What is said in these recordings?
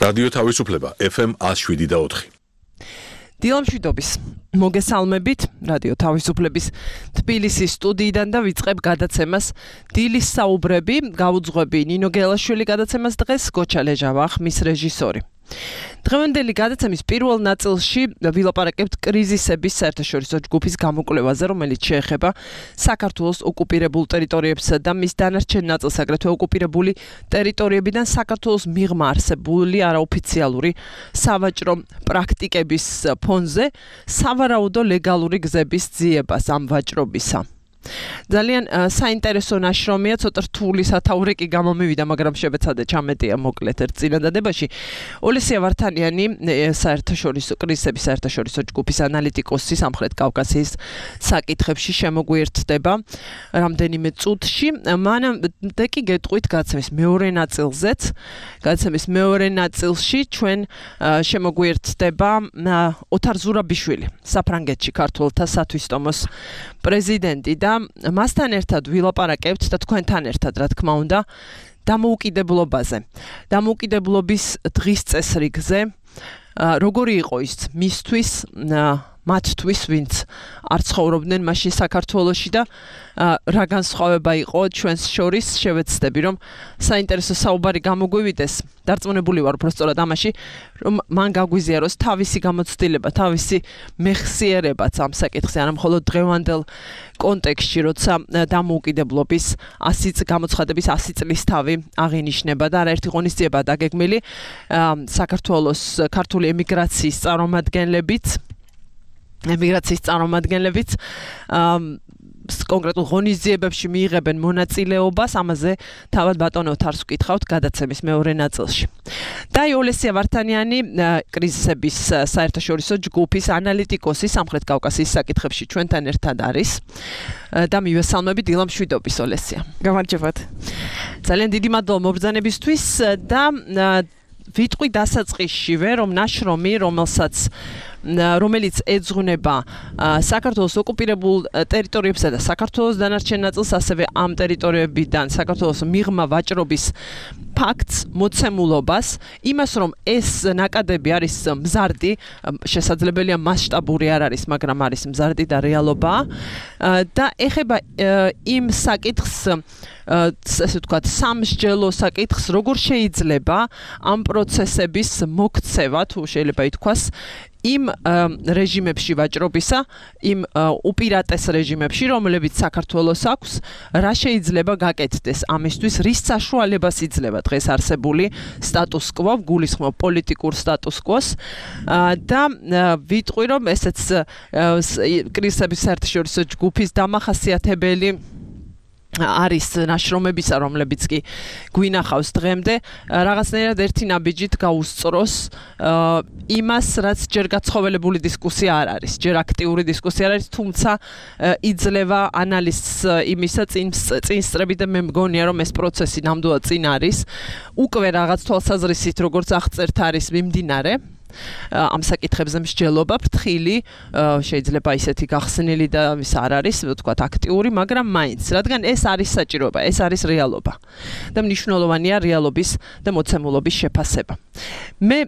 რადიო თავისუფლება FM 107.4. დილამშვიდობის მოგესალმებით რადიო თავისუფლების თბილისის სტუდიიდან და ვიწყებ გადაცემას დილის საუბრები. გავუძღვები ნინო გელაშვილი გადაცემას დღეს, გოჩა ლეჟავა ხმის რეჟისორი. დღევანდელი გადაცემის პირველ ნაწილში ვილაპარაკებთ კრიზისების საერთაშორისო ჯგუფის გამოკვლევაზე, რომელიც შეეხება საქართველოს ოკუპირებულ ტერიტორიებსა და მის დანარჩენ ნაწილს, აგრეთვე ოკუპირებული ტერიტორიებიდან საქართველოს მიღმა არსებული არაოფიციალური სავაჭრო პრაქტიკების ფონზე სავარაუდო ლეგალური გზების ძიებას ამ ვაჭრობისა. ძალიან საინტერესო ნაშრომია, ცოტა რთული სათაური კი გამომივიდა, მაგრამ შევეცადე ჩამეტია მოკლედ ერთ წინადადებაში. ოლესია ვართანიანი, საერთაშორისო კრიზისების საერთაშორისო ჯგუფის ანალიტიკოსი სამხრეთ კავკასიის საკითხებში შემოგვიერთდება რამდენიმე წუთში. მანამდე კი გეტყვით გადაცემის მეორე ნაწილზეც. გადაცემის მეორე ნაწილში ჩვენ შემოგვიერთდება ოთარ ზურაბიშვილი, საფრანგეთში ქართველთა სათვისტომოს პრეზიდენტი და მასთან ერთად ვილაპარაკებთ და თქვენთან ერთად, რა თქმა უნდა, დამოუკიდებლობაზე. დამოუკიდებლობის დღის წესრიგზე, როგორი იყო ის მისთვის, მათთვის, ვინც არ ცხოვრობდნენ მაშინ საქართველოში და რა განსხვავება იყო ჩვენს შორის, შევეცდები, რომ საინტერესო საუბარი გამოგვივიდეს. დარწმუნებული ვარ უბრალოდ ამაში, რომ მან გაგვიზიაროს თავისი გამოცდილება, თავისი მეხსიერებაც ამ საკითხზე, არა მხოლოდ დღევანდელ კონტექსტში, როცა დამოუკიდებლობის 100 გამოცხადების 100 წლის თავი აღინიშნება და არაერთი ღონისძიება დაგეგმილი საქართველოს ქართული ემიგრაციის წარმომადგენლებიც კონკრეტულ ღონისძიებებში მიიღებენ მონაწილეობას, ამაზე თავად ბატონო ოთარს ვკითხავთ გადაცემის მეორე ნაწილში. და ოლესია ვართანიანი, კრიზისების საერთაშორისო ჯგუფის ანალიტიკოსი სამხრეთ კავკასიის საკითხებში ჩვენთან ერთად არის და მივესალმებით დილამშვიდობის ოლესია. გამარჯობათ. ძალიან დიდი მადლობა მობრძანებისთვის და ვიტყვი დასაწყისშივე, რომ ნაშრომი, რომელიც ეძღვნება საქართველოს ოკუპირებულ ტერიტორიებსა და საქართველოს დანარჩენ ნაწილს, ასევე ამ ტერიტორიებიდან საქართველოს მიღმა ვაჭრობის ფაქტს, მოცემულობას, იმას, რომ ეს ნაკადები არის მზარდი, შესაძლებელია მასშტაბური არ არის, მაგრამ არის მზარდი და რეალობაა და ეხება იმ საკითხს, ესე ვთქვათ, სამსჯელო საკითხს, როგორ შეიძლება ამ პროცესების მოქცევა, თუ შეიძლება ითქვას, იმ რეჟიმებში ვაჭრობისა, იმ უპირატეს რეჟიმებში, რომლებიც საქართველოს აქვს, რა შეიძლება გაკეთდეს ამისთვის, რის საშუალებას იძლევა დღეს არსებული სტატუს კვო, გულისხმობ პოლიტიკურ სტატუს კვოს და ვიტყვი, რომ ესეც კრიზისების საერთაშორისო ჯგუფის დამახასიათებელი არის ნაშრომებისა, რომლებიც კი გვინახავს დღემდე, რაღაცნაირად ერთი ნაბიჯით გაუსწროს იმას, რაც ჯერ გაცხოველებული დისკუსია არ არის, ჯერ აქტიური დისკუსია არ არის, თუმცა იძლევა ანალიზს იმისა წინსწრებით და მე მგონია, რომ ეს პროცესი ნამდვილად წინ არის, უკვე რაღაც თვალსაზრისით, როგორც აღწერთ არის მიმდინარე. ამ საკითხებზე მსჯელობა ფრთხილი, შეიძლება ისეთი გახსნილი და ის არ არის, ვთქვათ, აქტიური, მაგრამ მაინც, რადგან ეს არის საჭიროება, ეს არის რეალობა და მნიშვნელოვანია რეალობის და მოცემულობის შეფასება. მე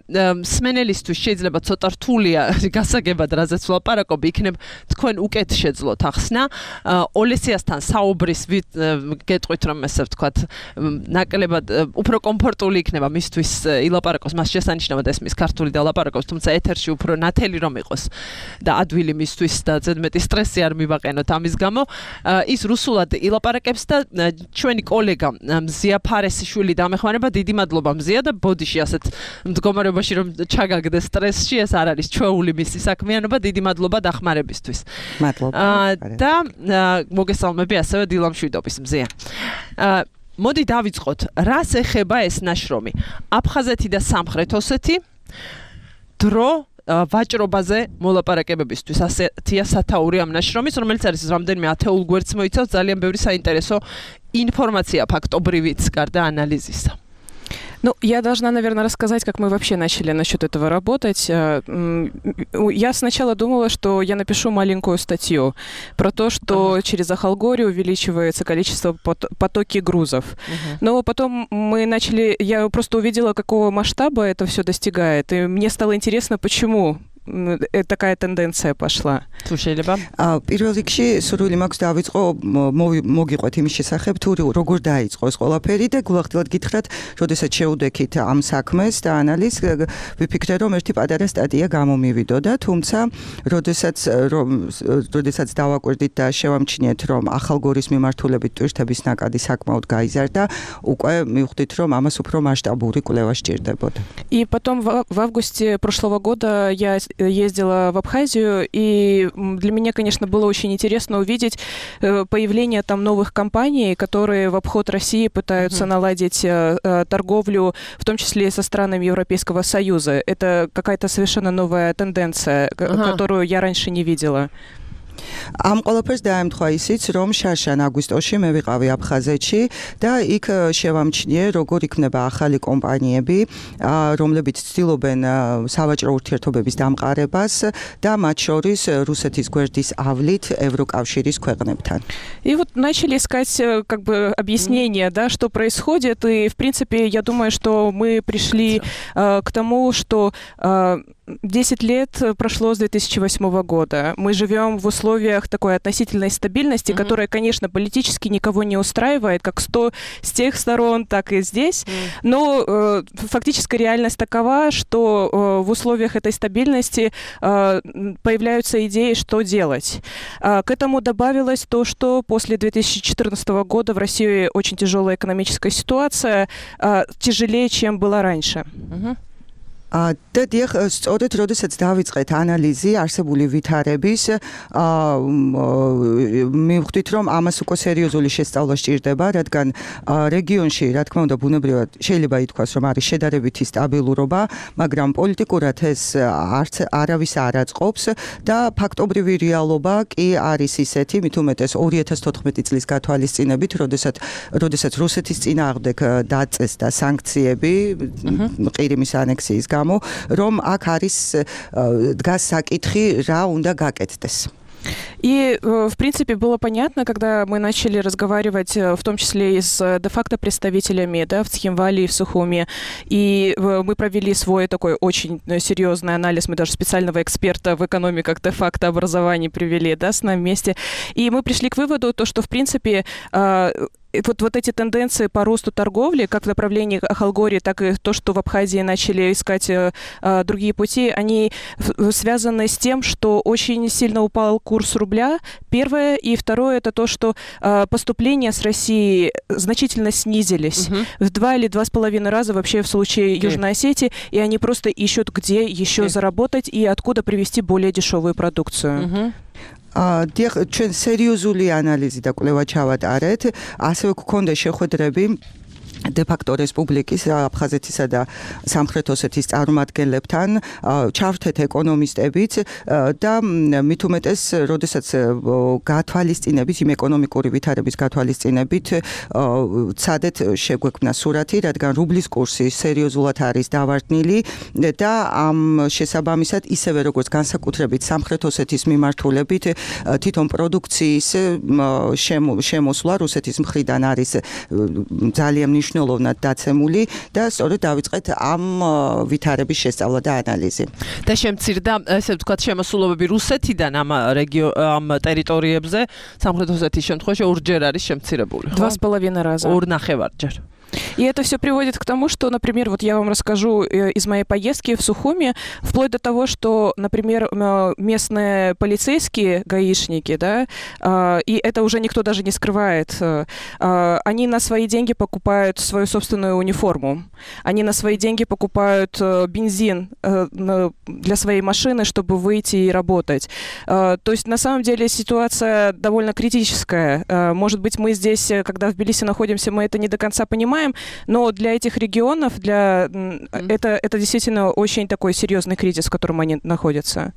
მსმენელისთვის შეიძლება ცოტა რთულია გასაგებად, რაზეც ვლაპარაკობ, იქნებ თქვენ უკეთ შეძლოთ ახსნა. ოლესიასთან საუბრის გეტყვით, რომ ესე ვთქვათ, ნაკლებად უფრო კომფორტული იქნება მისთვის ილაპარაკოს, მას შესანიშნავად ესმის ქართული და ლაპარაკობს, თუმცა ეთერში უფრო ნათელი რომ იყოს და ადვილი მისთვის და ზედმეტი სტრესი არ მივაყენოთ ამის გამო, ის რუსულად ილაპარაკებს და ჩვენი კოლეგა მზია ფარესიშვილი დამეხმარება, დიდი მადლობა მზია და ბოდიში ასეთ მდგომარეობაში რომ ჩაგაგდეს სტრესში, ეს არ არის ჩვეული მისი საქმიანობა, დიდი მადლობა დახმარებისთვის. მადლობა. და მოგესალმები ასევე დილამშვიდობის მზია. მოდი დავიწყოთ, რას ეხება ეს ნაშრომი? აფხაზეთი და სამხრეთ ოსეთი დრო ვაჭრობაზე მოლაპარაკებებისთვის, ასეთია სათაური ამ ნაშრომის, რომელიც არის რამდენიმე ათეულ გვერდს მოიცავს, ძალიან ბევრი საინტერესო ინფორმაცია ფაქტობრივიც გარდა ანალიზისა. Ну, я должна, наверное, рассказать, как мы вообще начали насчет этого работать. Я сначала думала, что я напишу маленькую статью про то, что через Ахалгорию увеличивается количество потоки грузов. Но потом я просто увидела, какого масштаба это все достигает, и мне стало интересно, почему такая тенденция пошла. Слушай, Леба. პირველ რიგში სურვილი მაქვს დავიწყო მოგიყვეთ იმის შესახებ თუ როგორ დაიწყო ეს ყველაფერი და გულახდილად გითხრათ, როდესაც შევუდექით ამ საქმეს და ანალიზს, ვიფიქრე რომ ერთი პატარა სტატია გამომივიდოდა, თუმცა როდესაც დავაკვირდით და შევამჩნიეთ რომ ახალგორის მიმართულებით ტვირთების ნაკადი საკმაოდ გაიზარდა, უკვე მივხვდით რომ ამას უფრო მასშტაბური კვლევა სჭირდებოდა. И потом в августе прошлого года я ездила в Абхазию, и для меня, конечно, было очень интересно увидеть появление там новых компаний, которые в обход России пытаются наладить торговлю, в том числе со странами Европейского Союза. Это какая-то совершенно новая тенденция, которую я раньше не видела. ამ ყველაფერს დაემთხვა ისიც, რომ შარშან აგვისტოში მე ვიყავი აფხაზეთში და იქ შევამჩნიე, როგორ იქნება ახალი კომპანიები, რომლებიც ცდილობენ სავაჭრო ურთიერთობების დამყარებას და მათ შორის რუსეთის გვერდის ავლით ევროკავშირის ქვეყნებთან. И вот начали искать как бы объяснение, да, что происходит, и в принципе, я думаю, что мы пришли к тому, что 10 лет прошло с 2008 года. Мы живем в условиях такой относительной стабильности, которая, конечно, политически никого не устраивает, как с тех сторон, так и здесь. Но фактическая реальность такова, что в условиях этой стабильности появляются идеи, что делать. К этому добавилось то, что после 2014 года в России очень тяжелая экономическая ситуация, тяжелее, чем была раньше. და დიახ, სწორედ როდესაც დავიწყეთ ანალიზი არსებული ვითარების, მივხვდით რომ ამას უკვე სერიოზული შესწავლა სჭირდება, რადგან რეგიონში, რა თქმა უნდა, ბუნებრივად შეიძლება ითქვას, რომ არის შედარებითი სტაბილურობა, მაგრამ პოლიტიკურად ეს არავის არ აწყობს და ფაქტობრივი რეალობა კი არის ისეთი, მით უმეტეს 2014 წლის გათვალისწინებით, როდესაც რუსეთის წინააღმდეგ დაწეს და სანქციები ყირიმის ანექსიის გამო, რომ აქ არის დგას საკითხი, რა უნდა გაკეთდეს. И, в принципе, было понятно, когда мы начали разговаривать, в том числе и с де-факто представителями, да, в Цхинвале и в Сухуме, и мы провели свой такой очень серьезный анализ, мы даже специального эксперта в экономиках де-факто образований привели, да, с нами вместе, и мы пришли к выводу, что, в принципе, вот эти тенденции по росту торговли, как в направлении Ахалгории, так и то, что в Абхазии начали искать другие пути, они связаны с тем, что очень сильно упал курс рубля, первое, и второе, это то, что поступления с России значительно снизились в 2 или 2,5 раза вообще в случае Южной Осетии, и они просто ищут, где еще заработать и откуда привезти более дешевую продукцию. ჩვენ სერიოზული ანალიზი და კვლევა ჩავატარეთ, ასევე გქონდა შეხვედრები de-facto რესპუბლიკის, აფხაზეთისა და სამხრეთ ოსეთის წარმომადგენლებთან, ჩავრთეთ ეკონომისტებით და მით უმეტეს, როდესაც გათვალისწინებით, იმ ეკონომიკური ვითარების გათვალისწინებით, ცადეთ შეგვექმნა სურათი, რადგან რუბლის კურსი სერიოზულად არის დავარდნილი და ამ შესაბამისად, ისევე როგორც განსაკუთრებით სამხრეთ ოსეთის მიმართულებით, თვითონ პროდუქციის შემოსვლა რუსეთის მხრიდან არის ძალიან მნიშვნელოვნად დაცემული და სწორედ დავიწყეთ ამ ვითარების შესწავლა და ანალიზი. და შემცირდა, ესე ვთქვათ, შემოსულობები რუსეთიდან ამ ტერიტორიებზე, სამხრეთ ოსეთის შემთხვევაში ორჯერ არის შემცირებული. 2,5 раза. 2,5-ჯერ. И это все приводит к тому, что, например, вот я вам расскажу из моей поездки в Сухуми, вплоть до того, что, например, местные полицейские гаишники, да, и это уже никто даже не скрывает, они на свои деньги покупают свою собственную униформу, они на свои деньги покупают бензин для своей машины, чтобы выйти и работать. То есть, на самом деле, ситуация довольно критическая. Может быть, мы здесь, когда в Тбилиси находимся, мы это не до конца понимаем, понимаем, но для этих регионов это действительно очень такой серьезный кризис, в котором они находятся.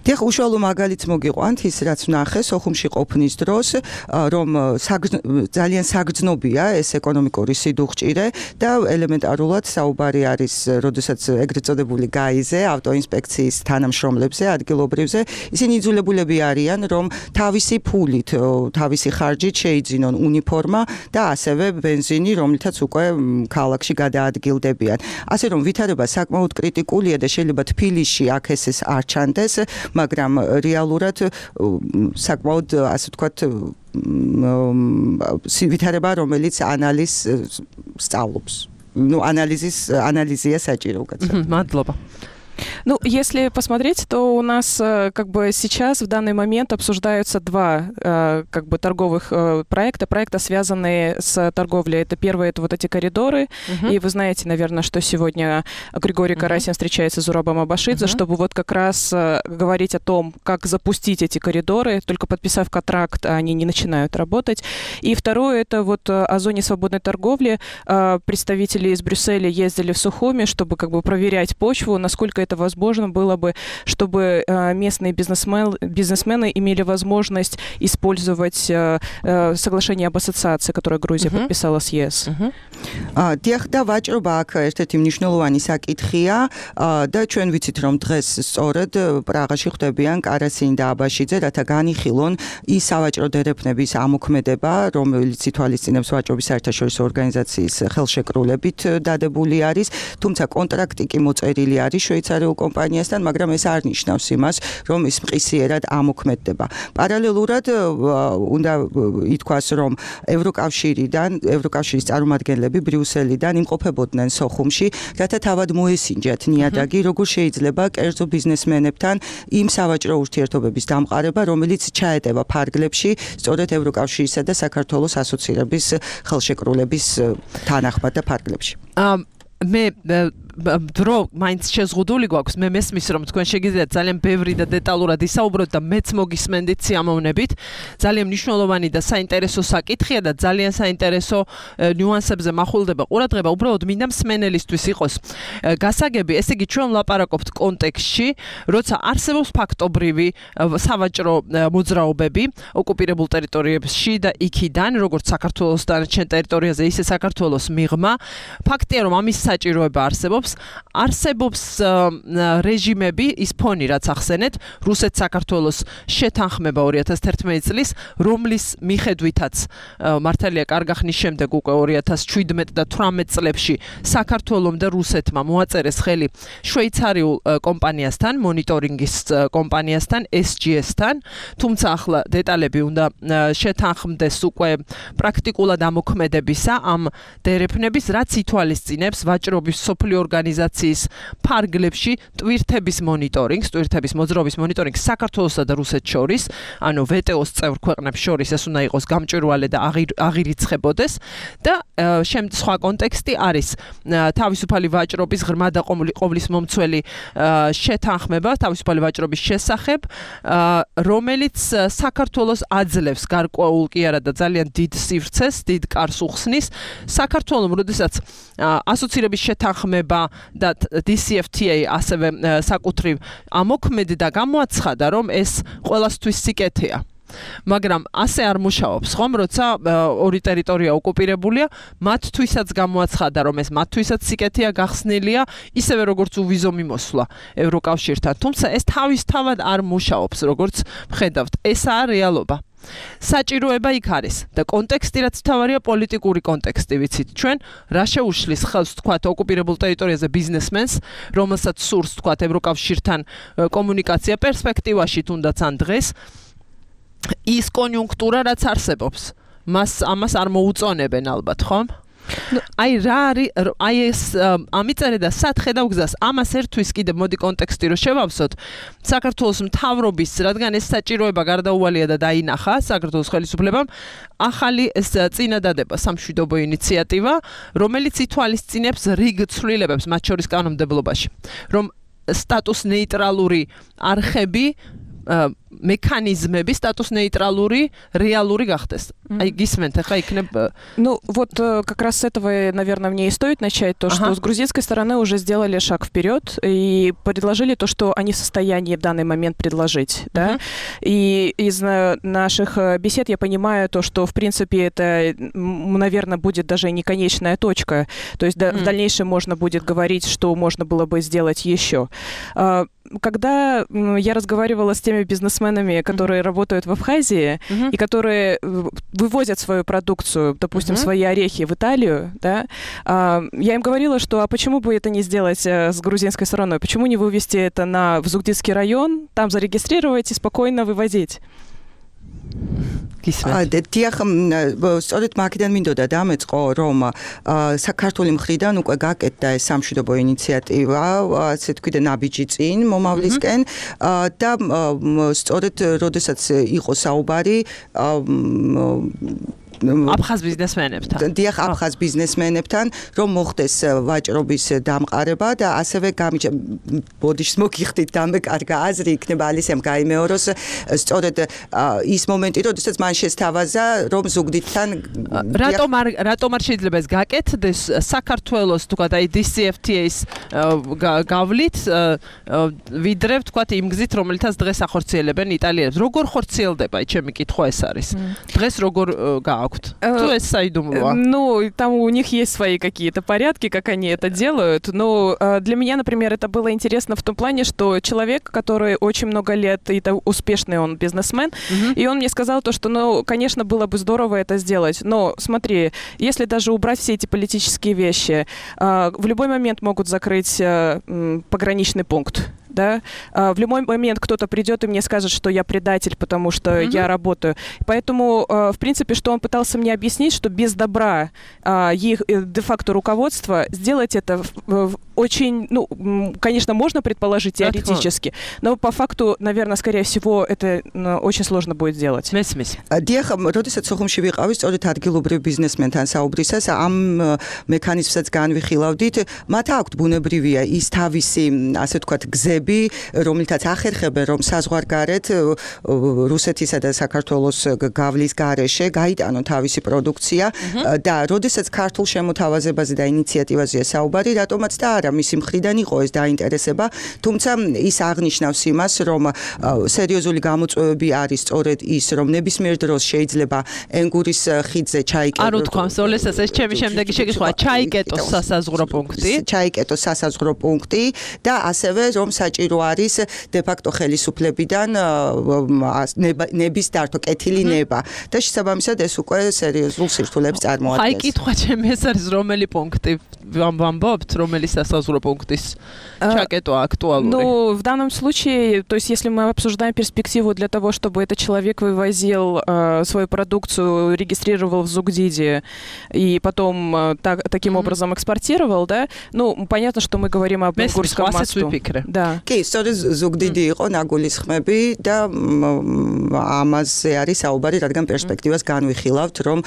Тех უშუალო მაგალითს მოგიყვანთ ის რაც ვნახე სოხუმში ყოფნის დროს, რომ ძალიან საგრძნობია ეს ეკონომიკური სიდუხჭირე და ელემენტარულად საუბარი არის, როდესაც ეგრეთ წოდებული გაიზე ავტოინსპექციის თანამშრომლებზე, ადგილობრივზე, ისინი იძულებულები არიან, რომ თავისი ფულით, თავისი ხარჯით შეიძინონ უნიფორმა და ასევე ბენზინი, რომლითაც უკვე ქალაქში გადაადგილდებიან. ასე რომ ვითარება საკმაოდ კრიტიკულია და შეიძლება თბილისში აქ ეს არ ჩანდეს, მაგრამ რეალურად საკმაოდ ასე ვთქვათ ვითარება, რომელიც ანალიზს სწავლობს. ანალიზია საჭირო უკაცრავად. მადლობა. Ну, если посмотреть, то у нас как бы сейчас в данный момент обсуждаются два как бы торговых проекта, связанные с торговлей. Это первое, это вот эти коридоры, и вы знаете, наверное, что сегодня Григорий Карасин встречается с Зурабом Абашидзе, чтобы вот как раз говорить о том, как запустить эти коридоры, только подписав контракт, они не начинают работать. И второе, это вот о зоне свободной торговли. Представители из Брюсселя ездили в Сухуми, чтобы как бы проверять почву, насколько это возможно было бы, чтобы местные бизнесмены имели возможность использовать соглашение об ассоциации, которое Грузия подписала с ЕС. დიახდა ვაჭრობა აქ ერთ-ერთი მნიშვნელოვანი საკითხია და ჩვენ ვიცით რომ დღეს სწორედ პრაღაში ხდებიან კარასინი და აბაშიძე, რათა განიხილონ ის სავაჭრო დერეფნების ამოქმედება, რომელიც ითვალისწინებს ვაჭრობის საერთაშორისო ორგანიზაციის ხელშეკრულებით დადებული არის, თუმცა კონტრაქტი კი მოწერილი არის შვეიცარიულ კომპანიასთან, მაგრამ ეს არ ნიშნავს იმას, რომ ის მყისიერად ამოქმედდება. პარალელურად უნდა ითქვას, რომ ევროკავშირის წარმომადგენლები ბრიუსელიდან იმყოფებოდნენ სოხუმში, რათა თავად მოესინჯათ ნიადაგი, როგორ შეიძლება კერძო ბიზნესმენებთან იმ სავაჭრო ურთიერთობების დამყარება, რომელიც ჩაეტევა ფარგლებში, სწორედ ევროკავშირისა და საქართველოს ასოცირების ხელშეკრულების თანახმად და ფარგლებში. მე დრო მაინც შეზღუდული გვაქვს, მე მესმის რომ თქვენ შეგიძლიათ ძალიან ბევრი და დეტალურად ისაუბროთ და მეც მოგისმენდით სიამოვნებით. ძალიან მნიშვნელოვანი და საინტერესო საკითხია და ძალიან საინტერესო ნიუანსებზე მახულდება ყურადღება. უბრალოდ მინდა მსმენელისთვის იყოს გასაგები, ესე იგი ჩვენ ვლაპარაკობთ კონტექსტში, როცა არსებობს ფაქტობრივი სავაჭრო მოძრაობები ოკუპირებულ ტერიტორიებში და იქიდან, როგორც საქართველოს დანარჩენ ტერიტორიაზე, ისე საქართველოს მიღმა. ფაქტია, რომ ამის საჭიროება არსებობს რეჟიმები, ის ფონი რაც ახსენეთ, რუსეთ-საქართველოს შეთანხმება 2011 წლის, რომლის მიხედვითაც მართალია კარგა ხნის შემდეგ უკვე 2017 და 18 წლებში საქართველომ და რუსეთმა მოაწერეს ხელი შვეიცარიულ კომპანიასთან, მონიტორინგის კომპანიასთან, SGS-თან, თუმცა ახლა დეტალები უნდა შეთანხმდეს უკვე პრაქტიკულად ამოქმედებისა ამ დერეფნების, რაც ითვალისწინებს ვაჭრობის სოფლიო ორგანიზაციის ფარგლებში ტვირთების მონიტორინგს, ტვირთების მოძრაობის მონიტორინგს საქართველოსა და რუსეთს შორის, ანუ VTO-ს წევრ ქვეყნებს შორის ეს უნდა იყოს გამჭვირვალე და აღირიცხებოდეს და სხვა კონტექსტი არის თავისუფალი ვაჭრობის ღრმა და ყოვლის მომცველი შეთანხმება თავისუფალი ვაჭრობის შესახებ, რომელიც საქართველოს აძლევს გარკვეულ კი არა და ძალიან დიდ სივრცეს, დიდ კარს უხსნის საქართველოს, როდესაც ასოცირების შეთანხმება და DCFTA ასევე საკუთრივ ამოქმედდა, გამოაცხადა, რომ ეს ყველასთვის სიკეთეა. მაგრამ ასე არ მუშაობს, ხომ, როცა ორი ტერიტორია ოკუპირებულია, მათთვისაც გამოაცხადა, რომ ეს მათთვისაც სიკეთეა, გახსნილია, ისევე როგორც უვიზო მიმოსვლა ევროკავშირთან. თუმცა ეს თავისთავად არ მუშაობს, როგორც ვხედავთ. ესაა რეალობა. საჭიროება იქ არის და კონტექსტი რაც თავარია პოლიტიკური კონტექსტი, ვიცით ჩვენ, რა შეუშლის ხელს თქვათ ოკუპირებულ ტერიტორიაზე ბიზნესმენს, რომელსაც სურს თქვათ ევროკავშირთან კომუნიკაცია პერსპექტივაში თუნდაც ან დღეს ის კონიუნქტურა რაც არსებობს, ამას არ მოუწონებენ ალბათ, ხომ? აი რა არის, აი ეს ამიწერე და სათხე დავგზას, ამას ერთვის კიდე მოდი კონტექსტი რო შევავსოთ, საქართველოს მთავრობის, რადგან ეს საჭიროება გარდაუვალია და დაინახა საქართველოს ხელისუფლებამ, ახალი ეს წინადადება სამშვიდობო ინიციატივა, რომელიც ითვალისწინებს რიგ ცვლილებებს მათ შორის კანონმდებლობაში, რომ სტატუს ნეიტრალური არხები მექანიზმები სტატუს нейтралური, რეალური გახდეს. Აი გისმენთ, ახლა იქნებ Ну, вот как раз с этого, наверное, мне и стоит начать, то, что с грузинской стороны уже сделали шаг вперед и предложили то, что они в состоянии в данный момент предложить, да. И из наших бесед я понимаю то, что, в принципе, это, наверное, будет даже не конечная точка. То есть в дальнейшем можно будет говорить, что можно было бы сделать еще. Когда я разговаривала с теми бизнесменами, которые работают в Абхазии и которые вывозят свою продукцию, допустим, свои орехи в Италию, да, я им говорила, что а почему бы это не сделать с грузинской стороной? Почему не вывести это в Зугдидский район, там зарегистрировать и спокойно вывозить? დიახ, სწორედ მაგიდან მინდოდა დამეწყო, რომ საქართველოს მხრიდან უკვე გაკეთდა ეს სამშვიდობო ინიციატივა, ასე თქვი და ნაბიჯი წინ მომავლისკენ და სწორედ როდესაც იყო საუბარი აფხაზ ბიზნესმენებთან. დიახ, აფხაზ ბიზნესმენებთან, რომ მოხდეს ვაჭრობის დამყარება და ასევე ბოდიშს მოგიხდით დამეკარგა აზრი იქნება ალისემ გაიმეოროს სწორედ ის მომენტი, როდესაც მან შესთავაზა, რომ ზუგდიდთან რატომ არ შეიძლება ეს გაკეთდეს საქართველოს თქვათ აი DCFTA-ის გავლით ვიდრე თქვათ იმ გზით, რომელთაც დღეს ახორციელებენ იტალიელებს. როგორ ხორციელდება, ჩემი კითხვა ეს არის. დღეს როგორ Ну, там у них есть свои какие-то порядки, как они это делают. Но для меня, например, это было интересно в том плане, что человек, который очень много лет, и успешный он бизнесмен, и он мне сказал то, что, ну, конечно, было бы здорово это сделать. Но смотри, если даже убрать все эти политические вещи, в любой момент могут закрыть пограничный пункт. Да? В любой момент кто-то придет и мне скажет, что я предатель, потому что я работаю. Поэтому, в принципе, что он пытался мне объяснить, что без добра их де-факто руководства сделать это очень, ну, конечно, можно предположить теоретически, но по факту, наверное, скорее всего, это очень сложно будет сделать. დიახ, როდესაც სოხუმში ვიყავი, სწორედ ადგილობრივ ბიზნესმენთან საუბრისას, ამ მექანიზმსაც განვიხილავდით, მათ აქვთ ბუნებრივია ის თავისი, ასე ვთქვათ, გზები, რომელთაც ახერხებენ, რომ საზღვარგარეთ რუსეთისა და საქართველოს გავლის გარეშე გაიტანონ თავისი პროდუქცია და როდესაც ქართულ შემოთავაზებაზე და ინიციატივაზეა საუბარი, რატომაც და არა მისი მხრიდან იყო ეს დაინტერესება, თუმცა ის აღნიშნავს იმას, რომ სერიოზული გამოწვევები არის სწორედ ის, რომ ნებისმიერ დროს შეიძლება ენგურის ხიდზე ჩაიკეტოს. ანუ თქვენ სოლესას ეს ჩემი შემდეგი შეკითხვა, ჩაიკეტოს სასაზღვრო პუნქტი. ჩაიკეტოს სასაზღვრო პუნქტი და ასევე რომ საჭირო არის de-facto ხელისუფლებიდან ნების დართვა, კეთილი ნება და შესაბამისად ეს უკვე სერიოზულ სირთულეებს წარმოადგენს. აი კითხვა ჩემი ეს არის რომელი პუნქტი ვამბობთ, რომელი სასაზღვრო пунктის чакету актуальный. Ну, в данном случае, то есть если мы обсуждаем перспективу для того, чтобы этот человек вывозил свою продукцию, регистрировал в Зугдиде и потом таким образом экспортировал, да, ну, понятно, что мы говорим об Ингурском мосту. Да. კი, სწორედ ზუგდიდი იყო ნაგულის ხმები და ამაზე არის საუბარი, რადგან პერსპექტივას განვიხილავთ, რომ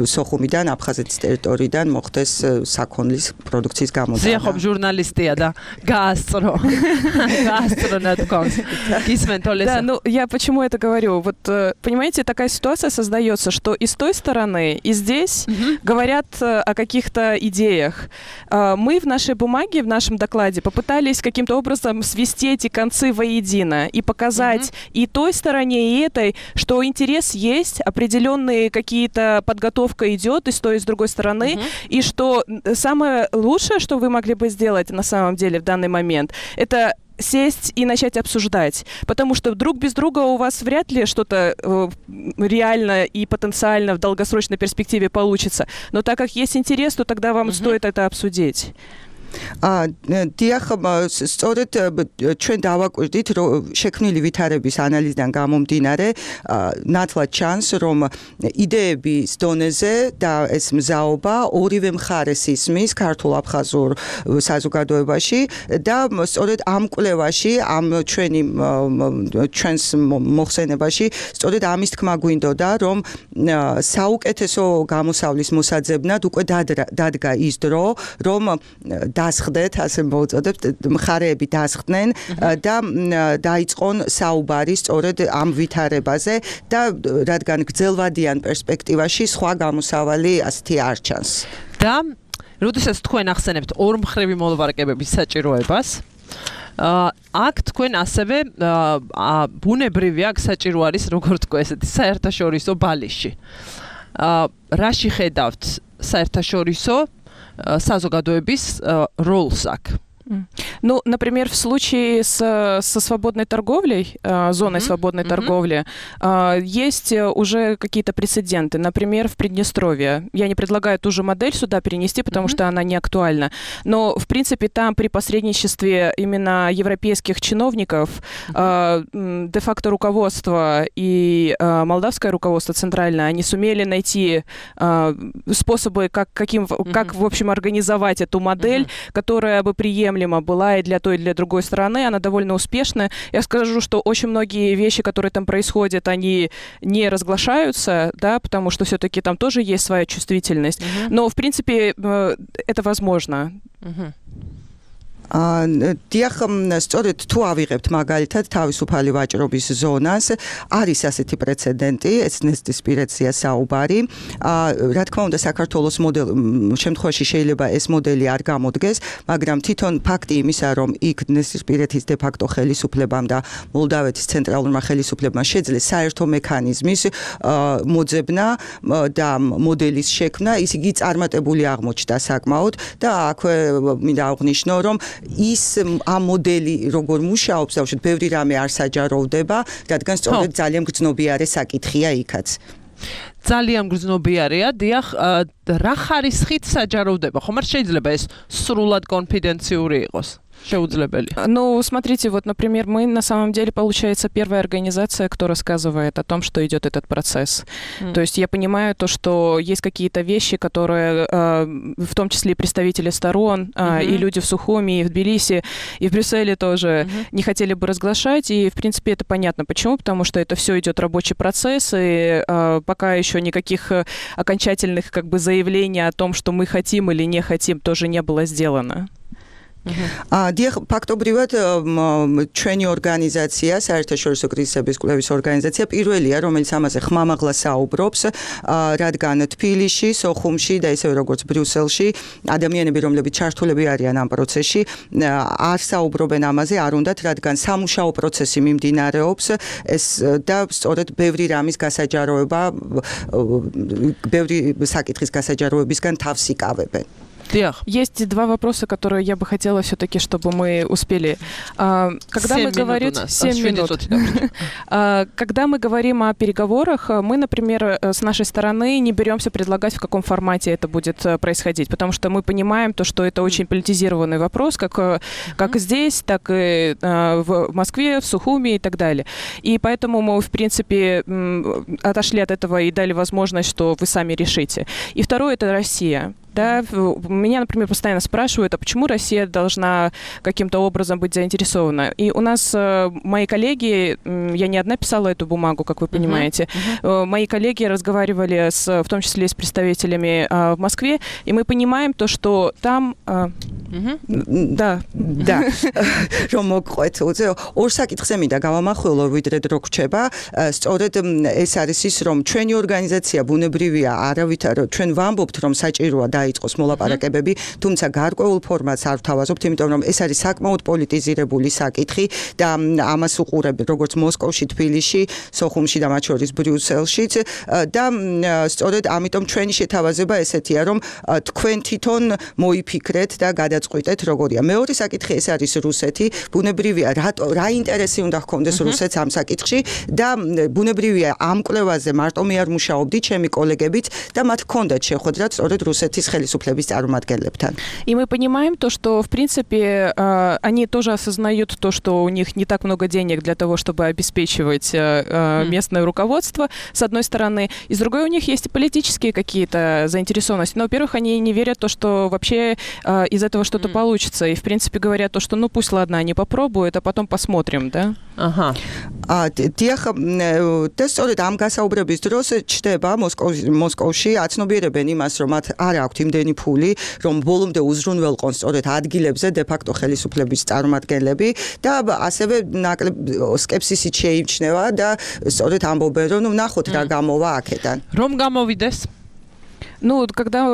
სოხუმიდან, აფხაზეთის ტერიტორიიდან მოხდეს საქონლის პროდუქციის გამოდანა. ზიახობ ჟურნალისტია და გაასწრო. გაასწრო ნათქვამს. გისმენთ ოლესა. Да, ну, я почему это говорю? Вот, понимаете, такая ситуация создается, что и с той стороны, и здесь говорят о каких-то идеях. Мы в нашей бумаге, в нашем докладе попытались каким-то образом свести эти концы воедино и показать и той стороне, и этой, что интерес есть, определенные какие-то подготовка идет и с той, и с другой стороны, и что самое лучшее, что вы могли бы сделать на самом деле в данный момент, это сесть и начать обсуждать. Потому что друг без друга у вас вряд ли что-то реально и потенциально в долгосрочной перспективе получится. Но так как есть интерес, то тогда вам стоит это обсудить. დიახ, სწორედ ჩვენ დავაკვირდით, რომ შექმნილი ვითარების ანალიზიდან გამომდინარე, ნათლად ჩანს, რომ იდეების დონეზე და ეს მზაობა ორივე მხარეს ისმის ქართულ-აფხაზურ საზოგადოებაში და სწორედ ამ კვლევაში, ამ ჩვენს მოხსენებაში, სწორედ ამის თქმა გვინდოდა, რომ საუკეთესო გამოსავლის მოსაძებნად უკვე დადგა ის დრო, რომ დასხდეთ, ასე მოვუწოდებთ, მხარეები დასხდნენ და დაიწყონ საუბარი სწორედ ამ ვითარებაზე და რადგან გრძელვადიან პერსპექტივაში სხვა გამოსავალი ასეთი არ ჩანს. და როდესაც თქვენ ახსენებთ ორმხრივი მოლაპარაკებების საჭიროებას, აქ თქვენ ასევე ბუნებრივი აქ საჭირო არის, როგორც თქვა ესეთი საერთაშორისო ბალიში. რაში ხედავთ საერთაშორისო საზოგადოების როლს აქ? Ну, например, в случае со свободной торговлей, зоной свободной торговли, есть уже какие-то прецеденты. Например, в Приднестровье. Я не предлагаю ту же модель сюда перенести, потому что она не актуальна. Но, в принципе, там при посредничестве именно европейских чиновников де-факто руководство и молдавское руководство центральное, они сумели найти способы, как, в общем, организовать эту модель, которая бы приемлема была и для той, и для другой стороны, она довольно успешная. Я скажу, что очень многие вещи, которые там происходят, они не разглашаются, да, потому что все-таки там тоже есть своя чувствительность. Но, в принципе, это возможно. დიახ, სწორედ თუ ავიღებთ მაგალითად თავისუფალი ვაჭრობის ზონას, არის ასეთი პრეცედენტი, ეცნესტისპირეცია საუბარი. რა თქმა უნდა, საქართველოს შემთხვევაში შეიძლება ეს მოდელი არ გამოდგეს, მაგრამ თვითონ ფაქტი იმისა, რომ იქ დნესტისპირეთის დე-ფაქტო ხელისუფლებამ და მოლდავეთის ცენტრალურმა ხელისუფლებამ შეძლეს საერთო მექანიზმის მოძებნა და მოდელის შექმნა, ის იგი წარმატებული აღმოჩნდა საკმაოდ და აქვე მინდა აღვნიშნო, რომ ის ამ მოდელი როგორ მუშაობს, ბავშვი, ბევრი რამე არ საჯაროვდება, რადგან სწორედ ძალიან გრძნობიარე საკითხია იქაც. ძალიან გრძნობიარეა, დიახ, რა ხარისხით საჯაროვდება? ხომ არ შეიძლება ეს სრულად კონფიდენციური იყოს? Ну, смотрите, вот, например, мы на самом деле, получается, первая организация, кто рассказывает о том, что идет этот процесс. То есть я понимаю то, что есть какие-то вещи, которые, в том числе и представители сторон, и люди в Сухуми, и в Тбилиси, и в Брюсселе тоже не хотели бы разглашать, и, в принципе, это понятно. Почему? Потому что это все идет рабочий процесс, и пока еще никаких окончательных как бы заявлений о том, что мы хотим или не хотим, тоже не было сделано. დიახ, ფაქტობრივად ჩვენი ორგანიზაცია, საერთაშორისო კრიზისების კვლევის ორგანიზაცია პირველია, რომელიც ამაზე ხმამაღლა საუბრობს, რადგან თბილისში, სოხუმში და ისევე როგორც ბრიუსელში ადამიანები, რომლებიც ჩართულები არიან ამ პროცესში, არ საუბრობენ ამაზე, არ უნდათ, რადგან სამუშაო პროცესი მიმდინარეობს, და სწორედ ბევრი რამის გასაჯაროება, ბევრი საკითხის გასაჯაროებისგან თავს იკავებენ. Есть два вопроса, которые я бы хотела все-таки, чтобы мы успели. Когда мы говорим 7 минут. Когда мы говорим о переговорах, мы, например, с нашей стороны не беремся предлагать, в каком формате это будет происходить, потому что мы понимаем то, что это очень политизированный вопрос, как здесь, так и в Москве, в Сухуми и так далее. И поэтому мы, в принципе, отошли от этого и дали возможность, что вы сами решите. И второе – это Россия. Да, меня, например, постоянно спрашивают, а почему Россия должна каким-то образом быть заинтересована? И у нас мои коллеги, я не одна писала эту бумагу, как вы понимаете, мои коллеги разговаривали в том числе и с представителями в Москве, и мы понимаем то, что там... Да. რომ მოგყვეთ, ორ საკითხზე მინდა გავამახვილო, ვიდრე დრო გრჩება, სწორედ ეს არის ის, რომ ჩვენი ორგანიზაცია ბუნებრივია, არავითარ ჩვენ ვამბობთ, რომ საჭიროა დაიწყოს მოლაპარაკებები, თუმცა გარკვეულ ფორმატს არ ვთავაზობთ, იმიტომ რომ ეს არის საკმაოდ პოლიტიზირებული საკითხი და ამას უყურებთ როგორც მოსკოვში, თბილისში, სოხუმში და მათ შორის ბრიუსელშიც და სწორედ ამიტომ ჩვენი შეთავაზება ესეთია, რომ თქვენ თვითონ მოიფიქრეთ და გადაწყვიტეთ როგორია. მეორე საკითხი ეს არის რუსეთი, ბუნებრივია რა ინტერესი უნდა ჰქონდეს რუსეთს ამ საკითხში და ბუნებრივია ამ კვლევაზე მარტო მე არ მუშაობდი, ჩემი კოლეგებიც და მათ ჰქონდათ შეხვედრა სწორედ რუსეთის ხელისუფლების წარმომადგენლებთან. И мы понимаем то, что в принципе они тоже осознают то, что у них не так много денег для того, чтобы обеспечивать местное руководство, с одной стороны, и с другой у них есть и политические какие-то заинтересованности. Но, во-первых, они не верят в то, что вообще из этого что-то получится. И, в принципе, говорят то, что, ну, пусть, ладно, они попробуют, а потом посмотрим, да? Ага. დიახ, და სწორედ ამ გასაუბრების დროს ჩდება მოსკოვში აცნობიერებენ იმას, რომ მათ არ აქვთ იმდენი ფული, რომ ბოლომდე უზრუნველყონ სწორედ ადგილებზე დე-ფაქტო ხელისუფლების წარმომადგენლები და ასევე ნაკლებ სკეპსისით შეიმჩნევა და სწორედ ამბობენ, რომ ნახოთ რა გამოვა აქედან. Რომ გამოვიდეს? Ну, когда,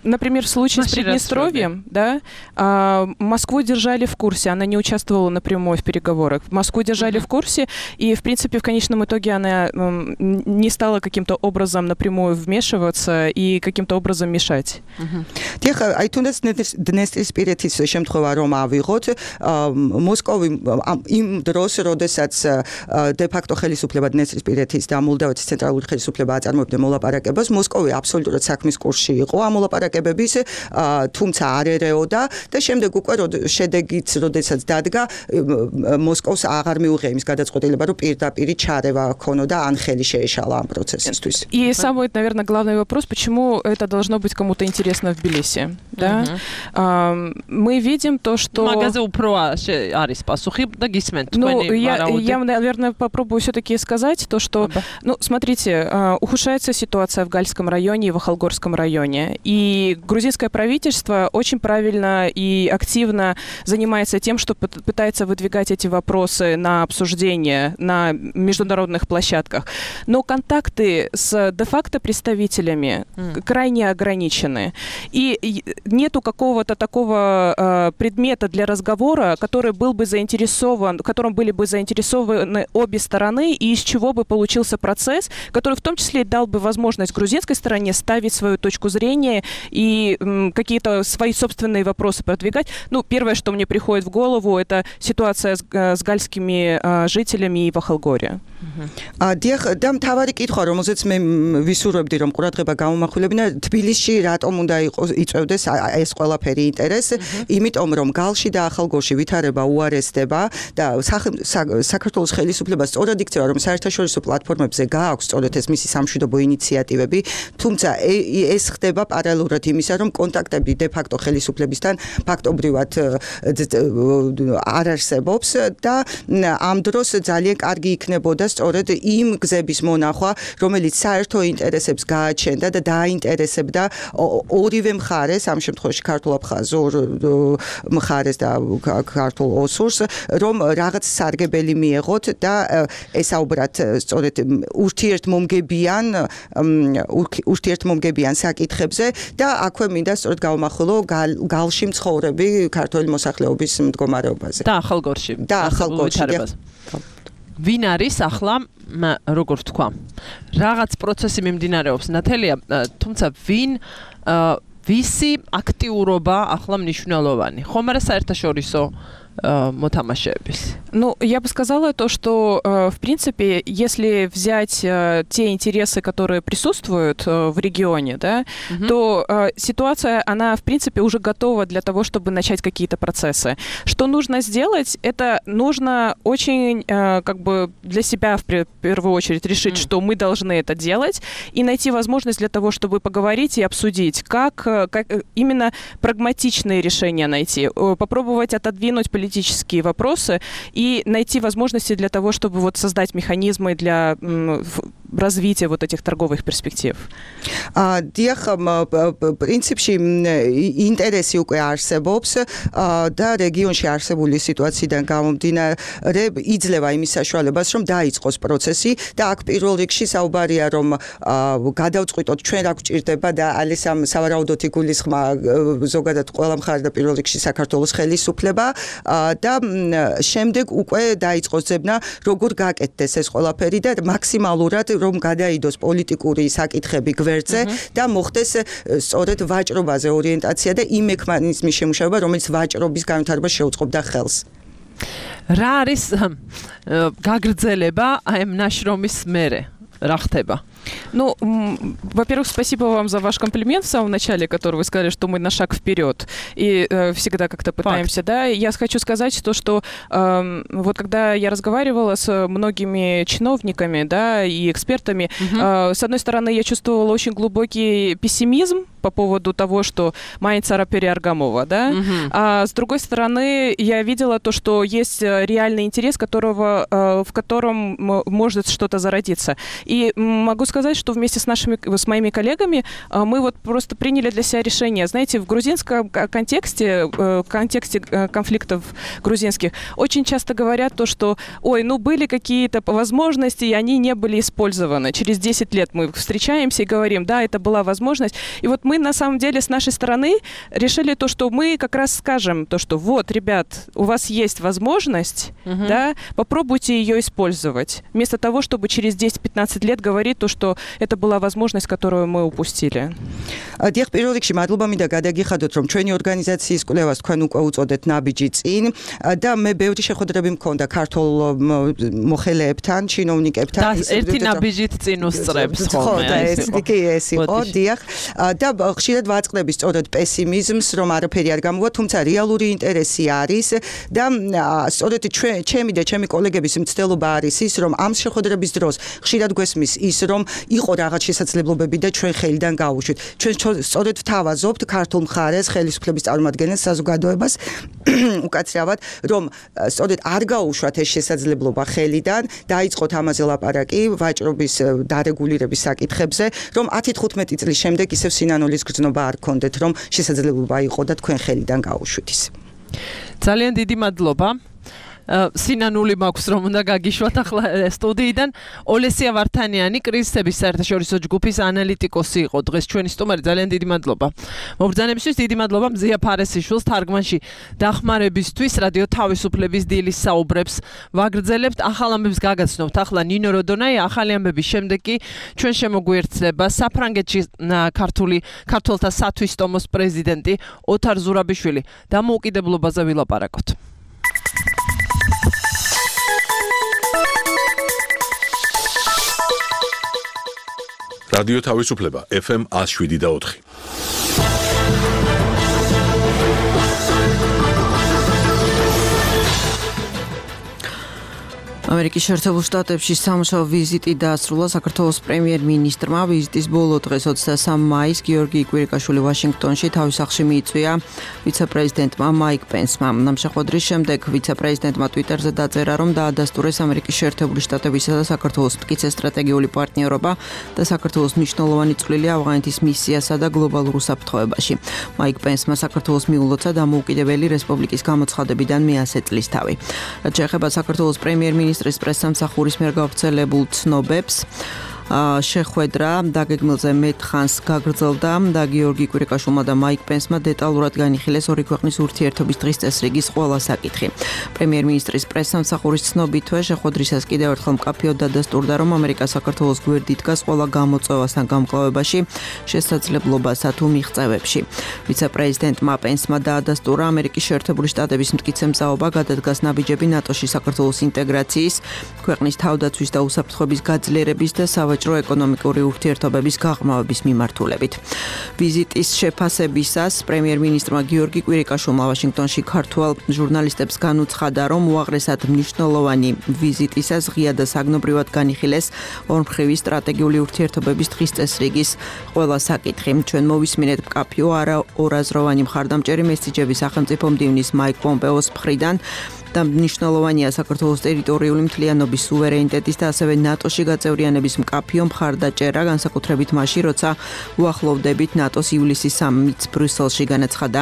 например, в случае с Приднестровьем, да, Москву держали в курсе, она не участвовала напрямую в переговорах. Москву держали в курсе, и, в принципе, в конечном итоге она не стала каким-то образом напрямую вмешиваться и каким-то образом мешать. Тихо, აი თუნდაც დნესტრისპირეთის შემთხვევა რომ ავიღოთ, მოსკოვი იმ დროს, როდესაც დე-ფაქტო ხელისუფლება დნესტრისპირეთის და მოლდავეთის ცენტრალური ხელისუფლება აწარმოებდა მოლაპარაკებას, მოსკოვი აბსოლუტურად საქმის კურსში იყო ამ მოლაპარაკებების, თუმცა არ ერეოდა და შემდეგ უკვე შედეგიც, როდესაც დადგა, მოსკოვს აღარ მიუღია იმის გადაწყვეტილება, რომ პირდაპირ ჩარევა ქონოდა ან ხელი შეეშალა ამ პროცესისთვის. И самый, наверное, главный вопрос, почему это должно быть кому-то интересно в Тбилиси, да? Мы видим то, что... Магазы უფრო არის пасухи და გისმენთ თქვენი варауды. Я, наверное, попробую все-таки сказать то, что, ну, смотрите, ухудшается ситуация в Гальском районе и в Ахалгорском районе. И грузинское правительство очень правильно и активно занимается тем, что пытается выдвигать эти вопросы на обсуждение на международных площадках. Но контакты с де-факто представителями крайне ограничены. И нету какого-то такого предмета для разговора, который был бы заинтересован, в котором были бы заинтересованы обе стороны, и из чего бы получился процесс, который в том числе дал бы возможность грузинской стороне ставить свою точку зрения и какие-то свои собственные вопросы продвигать. Ну, первое, что мне приходит в голову, это ситуация с гальскими жителями и в Ахалгоре. დიახ, და მთავარი კითხვა, რომელზეც მე ვისურვებდი, რომ ყურადღება გამომახვილებინა, თბილისში რატომ უნდა იწევდეს ეს ყველაფერი ინტერესი, იმიტომ რომ გალში და ახალგორში ვითარება უარესდება და საქართველოს ხელისუფლება სწორად იქცევა, რომ საერთაშორისო პლატფორმებზე გააქვს სწორედ ეს მისი სამშვიდობო ინიციატივები, თუმცა ეს ხდება პარალელურად იმისა, რომ კონტაქტები დე-ფაქტო ხელისუფლებისთან ფაქტობრივად არ არსებობს და ამ დროს ძალიან კარგი იქნებოდა სწორედ იმ გზების მონახვა, რომელიც საერთო ინტერესებს გააჩენდა და დააინტერესებდა ორივე მხარეს, ამ შემთხვევაში ქართულ-აფხაზურ მხარეს და ქართულ ოსურს, რომ რაღაც სარგებელი მიეღოთ და ესაუბრათ სწორედ ურთიერთმომგებიან საკითხებზე და აქვე მინდა სწორედ გავამახვილო გალში მცხოვრები ქართველი მოსახლეობის მდგომარეობაზე. და ახალგორში. ვინ არის ახლა, როგორ თქვა, რაღაც პროცესი მიმდინარეობს ნათელია, თუმცა ვისი აქტიურობა ახლა მნიშვნელოვანი, ხომ არა საერთაშორისო мотамашебис. Ну, я бы сказала то, что, в принципе, если взять те интересы, которые присутствуют в регионе, да, то ситуация, она, в принципе, уже готова для того, чтобы начать какие-то процессы. Что нужно сделать? Это нужно очень, как бы, для себя, в первую очередь, решить, что мы должны это делать, и найти возможность для того, чтобы поговорить и обсудить, как именно прагматичные решения найти, попробовать отодвинуть политические вопросы и найти возможности для того, чтобы вот создать механизмы для развития вот этих торговых перспектив. Дიახ, პრინციპში ინტერესი უკვე არსებობს და რეგიონში არსებული სიტუაციიდან გამომდინარე იძლევა იმის საშუალებას, რომ დაიწყოს პროცესი და აქ პირველ რიგში საუბარია, რომ გადავწყვიტოთ ჩვენ რა გვჭირდება და არის ამ სავარაუდოდ იგულისხმა ზოგადად ყველა მხარე და პირველ რიგში საქართველოს ხელისუფლება და შემდეგ უკვე დაიწყოს ძებნა, როგორ გაკეთდეს ეს ყველაფერი და მაქსიმალურად რომ გადაიდოს პოლიტიკური საკითხები გვერდზე და მოხდეს სწორედ ვაჭრობაზე ორიენტაცია და იმ მექანიზმის შემუშავება, რომელიც ვაჭრობის განვითარებას შეუწყობდა ხელს. რა არის გაგრძელება აი ამ ნაშრომის მერე? Რა ხდება? Ну, во-первых, спасибо вам за ваш комплимент в самом начале, который вы сказали, что мы на шаг вперед и всегда как-то пытаемся, да. Я хочу сказать то, что вот когда я разговаривала с многими чиновниками, да, и экспертами, с одной стороны, я чувствовала очень глубокий пессимизм по поводу того, что Майя Цара Переаргамова, да? А с другой стороны, я видела то, что есть реальный интерес, в котором может что-то зародиться. И могу сказать, что вместе с моими коллегами мы вот просто приняли для себя решение. Знаете, в грузинском контексте конфликтов грузинских очень часто говорят то, что, были какие-то возможности, и они не были использованы. Через 10 лет мы встречаемся и говорим, да, это была возможность. И вот мы на самом деле с нашей стороны решили то, что мы как раз скажем то, что вот, ребят, у вас есть возможность, да, попробуйте ее использовать. Вместо того, чтобы через 10-15 лет говорить то, что это была возможность, которую мы упустили. Дიახ, პირველ რიგში მადლობა მინდა გადაგიხადოთ, რომ ჩვენი ორგანიზაციის კვლევას თქვენ უკვე უწოდეთ ნაბიჯი წინ და მე ბევრი შეხვედრები მქონდა ქართულ მოხელეებთან, ჩინოვნიკებთან. ერთი ნაბიჯით წინ უსწრებს ხოლმე. და ეს იყო, დიახ. და ხშირად ვაწყდები სწორედ პესიმიზმს, რომ არაფერი არ გამოვა, თუმცა რეალური ინტერესი არის და სწორედ ჩემი და ჩემი კოლეგების მცდელობა არის ის, რომ ამ შეხვედრების დროს ხშირად გვესმის ის, რომ იყო რაღაც შესაძლებლობები და ჩვენ ხელიდან გავუშვით. ჩვენ სწორედ ვთავაზობთ ქართულ მხარეს, ხელისუფლების წარმომადგენელს, საზოგადოებას უკაცრავად, რომ სწორედ არ გაუშვათ ეს შესაძლებლობა ხელიდან, დაიწყოთ ამაზე ლაპარაკი ვაჭრობის დარეგულირების საკითხებზე, რომ 10-15 წლის შემდეგ ისევ სინანულის გრძნობა არ გქონდეთ, რომ შესაძლებლობა იყო და თქვენ ხელიდან გაუშვით ის. ძალიან დიდი მადლობა. სინანული მაქვს რომ უნდა გაგიშვათ ახლა სტუდიიდან. ოლესია ვართანიანი კრიზისების საერთაშორისო ჯგუფის ანალიტიკოსი იყო დღეს ჩვენი სტუმარი. ძალიან დიდი მადლობა. მობრძანებისთვის დიდი მადლობა მზია ფარესიშვილს თარგმანში დახმარებისთვის. რადიო თავისუფლების დილის საუბრებს ვაგრძელებთ. ახალ ამბებს გაგაცნობთ ახლა ნინო როდონაი. ახალი ამბების შემდეგ კი ჩვენ შემოგვიერთდება საფრანგეთში ქართველთა სათვის ტომოს პრეზიდენტი ოთარ ზურაბიშვილი. დამოუკიდებლობაზე ვილაპარაკოთ. რადიო თავისუფლება FM 107.4. ამერიკის შეერთებულ შტატებში სამუშაო ვიზიტი დაასრულა საქართველოს პრემიერ-მინისტრმა. ვიზიტის ბოლო დღეს 23 მაისს გიორგი კვირიკაშვილი ვაშინგტონში თავის სახლში მიიწვია ვიცე-პრეზიდენტმა მაიკ პენსმა. ამ შეხვედრის შემდეგ ვიცე-პრეზიდენტმა ტვიტერზე დაწერა, რომ დაადასტურეს ამერიკის შეერთებული შტატებისა და საქართველოს მტკიცე სტრატეგიული პარტნიორობა და საქართველოს მნიშვნელოვანი წვლილი ავღანეთის მისიასა და გლობალურ უსაფრთხოებაში. მაიკ პენსმა საქართველოს მიულოცა დამოუკიდებელი რესპუბლიკის გამოცხადებიდან მე-100 წლისთავი. რაც შეეხება საქართველოს პრემიერ-მინისტრის პრესსამსახურის მიერ გავრცელებულ ცნობებს, შეხვედრა დაგეგმილზე მეთხანს გაგრძელდა და გიორგი კვირიკაშვილმა და მაიკ პენსმა დეტალურად განიხილეს ორი ქვეყნის ურთიერთობის დღის წესრიგის ყველა საკითხი. პრემიერ-მინისტრის პრესსამსახურის ცნობითვე შეხვედრისას კიდევ ერთხელ მკაფიოდ დადასტურდა, რომ ამერიკა საქართველოს გვერდით დგას ყველა გამოწვევასთან გამკლავებაში, შესაძლებლობასა თუ მიღწევებში. ვიცე-პრეზიდენტმა პენსმა დაადასტურა ამერიკის შეერთებული შტატების მტკიცე მზაობა გადადგას ნაბიჯები ნატოში საქართველოს ინტეგრაციის, ქვეყნის თავდაცვის და უსაფრთხოების გაძლიერების და ეკონომიკური ურთიერთობების გაღრმავების მიმართულებით. ვიზიტის შეფასებისას პრემიერ-მინისტრმა გიორგი კვირიკაშვილმა ვაშინგტონში ქართველ ჟურნალისტებს განუცხადა, რომ უაღრესად მნიშვნელოვანი ვიზიტისას ღია და საგნობრივად განიხილეს ორმხრივი სტრატეგიული ურთიერთობების დღის წესრიგის ყველა საკითხი. ჩვენ მოვისმინეთ მკაფიო არაორაზროვანი მხარდამჭერი მესიჯები სახელმწიფო მდივნის მაიკ პომპეოს მხრიდან და მნიშვნელოვანია საქართველოს ტერიტორიული მთლიანობის სუვერენიტეტის და ასევე ნატოში გაწევრიანების მკაფიო მხარდაჭერა, განსაკუთრებით მაშინ, როცა უახლოვდებით ნატოს ივლისის სამიტს ბრიუსელში, განაცხადა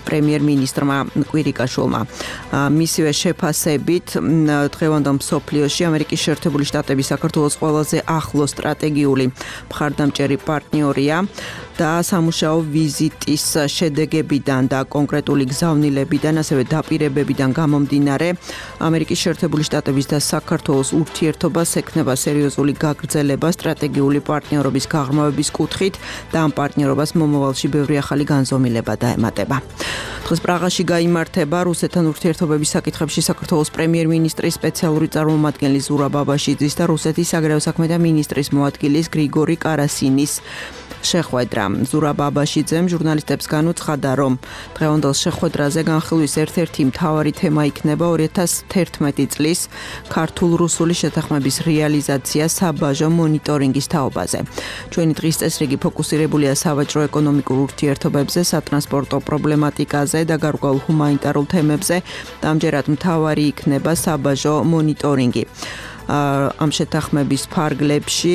პრემიერ-მინისტრმა კვირიკაშვილმა. მისივე შეფასებით დღევანდელ მსოფლიოში ამერიკის შეერთებული შტატები საქართველოს ყველაზე ახლო სტრატეგიული მხარდამჭერი პარტნიორია და სამუშაო ვიზიტის შედეგებიდან და კონკრეტული გზავნილებიდან, ასევე დაპირებებიდან გამომდინარე, ამერიკის შეერთებული შტატების და საქართველოს ურთიერთობას ექნება სერიოზული გაგრძელება სტრატეგიული პარტნიორობის გაღრმავების კუთხით და ამ პარტნიორობას მომავალში ბევრი ახალი განზომილება დაემატება. ვითარდება. დღეს პრაღაში გაიმართება რუსეთთან ურთიერთობების საკითხებში საქართველოს პრემიერ-მინისტრის სპეციალური წარმომადგენელი ზურაბ ბაბაშიძის და რუსეთის საგარეო საქმეთა მინისტრის მოადგილის გრიგორი კარასინის შეხვედრა. ზურაბ ბაბაშიძემ ჟურნალისტებს განუცხადა, რომ დღევანდელ შეხვედრაზე განხილვის ერთ-ერთი მთავარი თემა იქნება 2011 წლის ქართულ-რუსული შეთანხმების რეალიზაცია საბაჟო მონიტორინგის თაობაზე. ჩვენი დღის წესრიგი ფოკუსირებულია სავაჭრო-ეკონომიკურ ურთიერთობებზე, სატრანსპორტო პრობლემატიკაზე და გარკვეულ ჰუმანიტარულ თემებზე, და ამჯერად მთავარი იქნება საბაჟო მონიტორინგი. ამ შეთანხმების ფარგლებში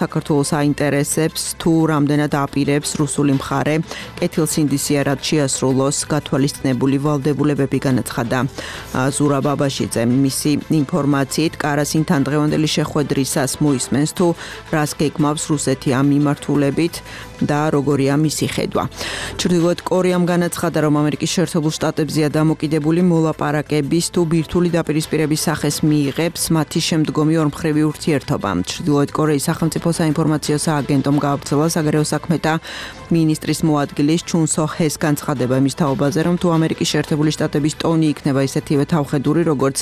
საქართველოს აინტერესებს თუ რამდენად აპირებს რუსული მხარე კეთილსინდისიერად შეასრულოს გათვალისწინებული ვალდებულებები, განაცხადა ზურაბ ბაბაშიძე. მისი ინფორმაციით კარასინთან დღევანდელი შეხვედრისას მოისმენს თუ რას გეგმავს რუსეთი ამ მიმართულებით და როგორია მისი ხედვა. ჩრდილოეთ კორეამ განაცხადა, რომ ამერიკის შეერთებულ შტატებზეა დამოკიდებული მოლაპარაკების თუ ბირთვული დაპირისპირების სახეს მიიღებს მათი შემდგომი ორმხრივი ურთიერთობა. ჩრდილოეთ კორეის სახელმწიფო საინფორმაციო სააგენტომ გაავრცელა საგარეო საქმეთა მინისტრის მოადგილის ჩუნ სო ჰეს განცხადება იმის თაობაზე, რომ თუ ამერიკის შეერთებული შტატების ტონი იქნება ისეთივე თავხედური, როგორც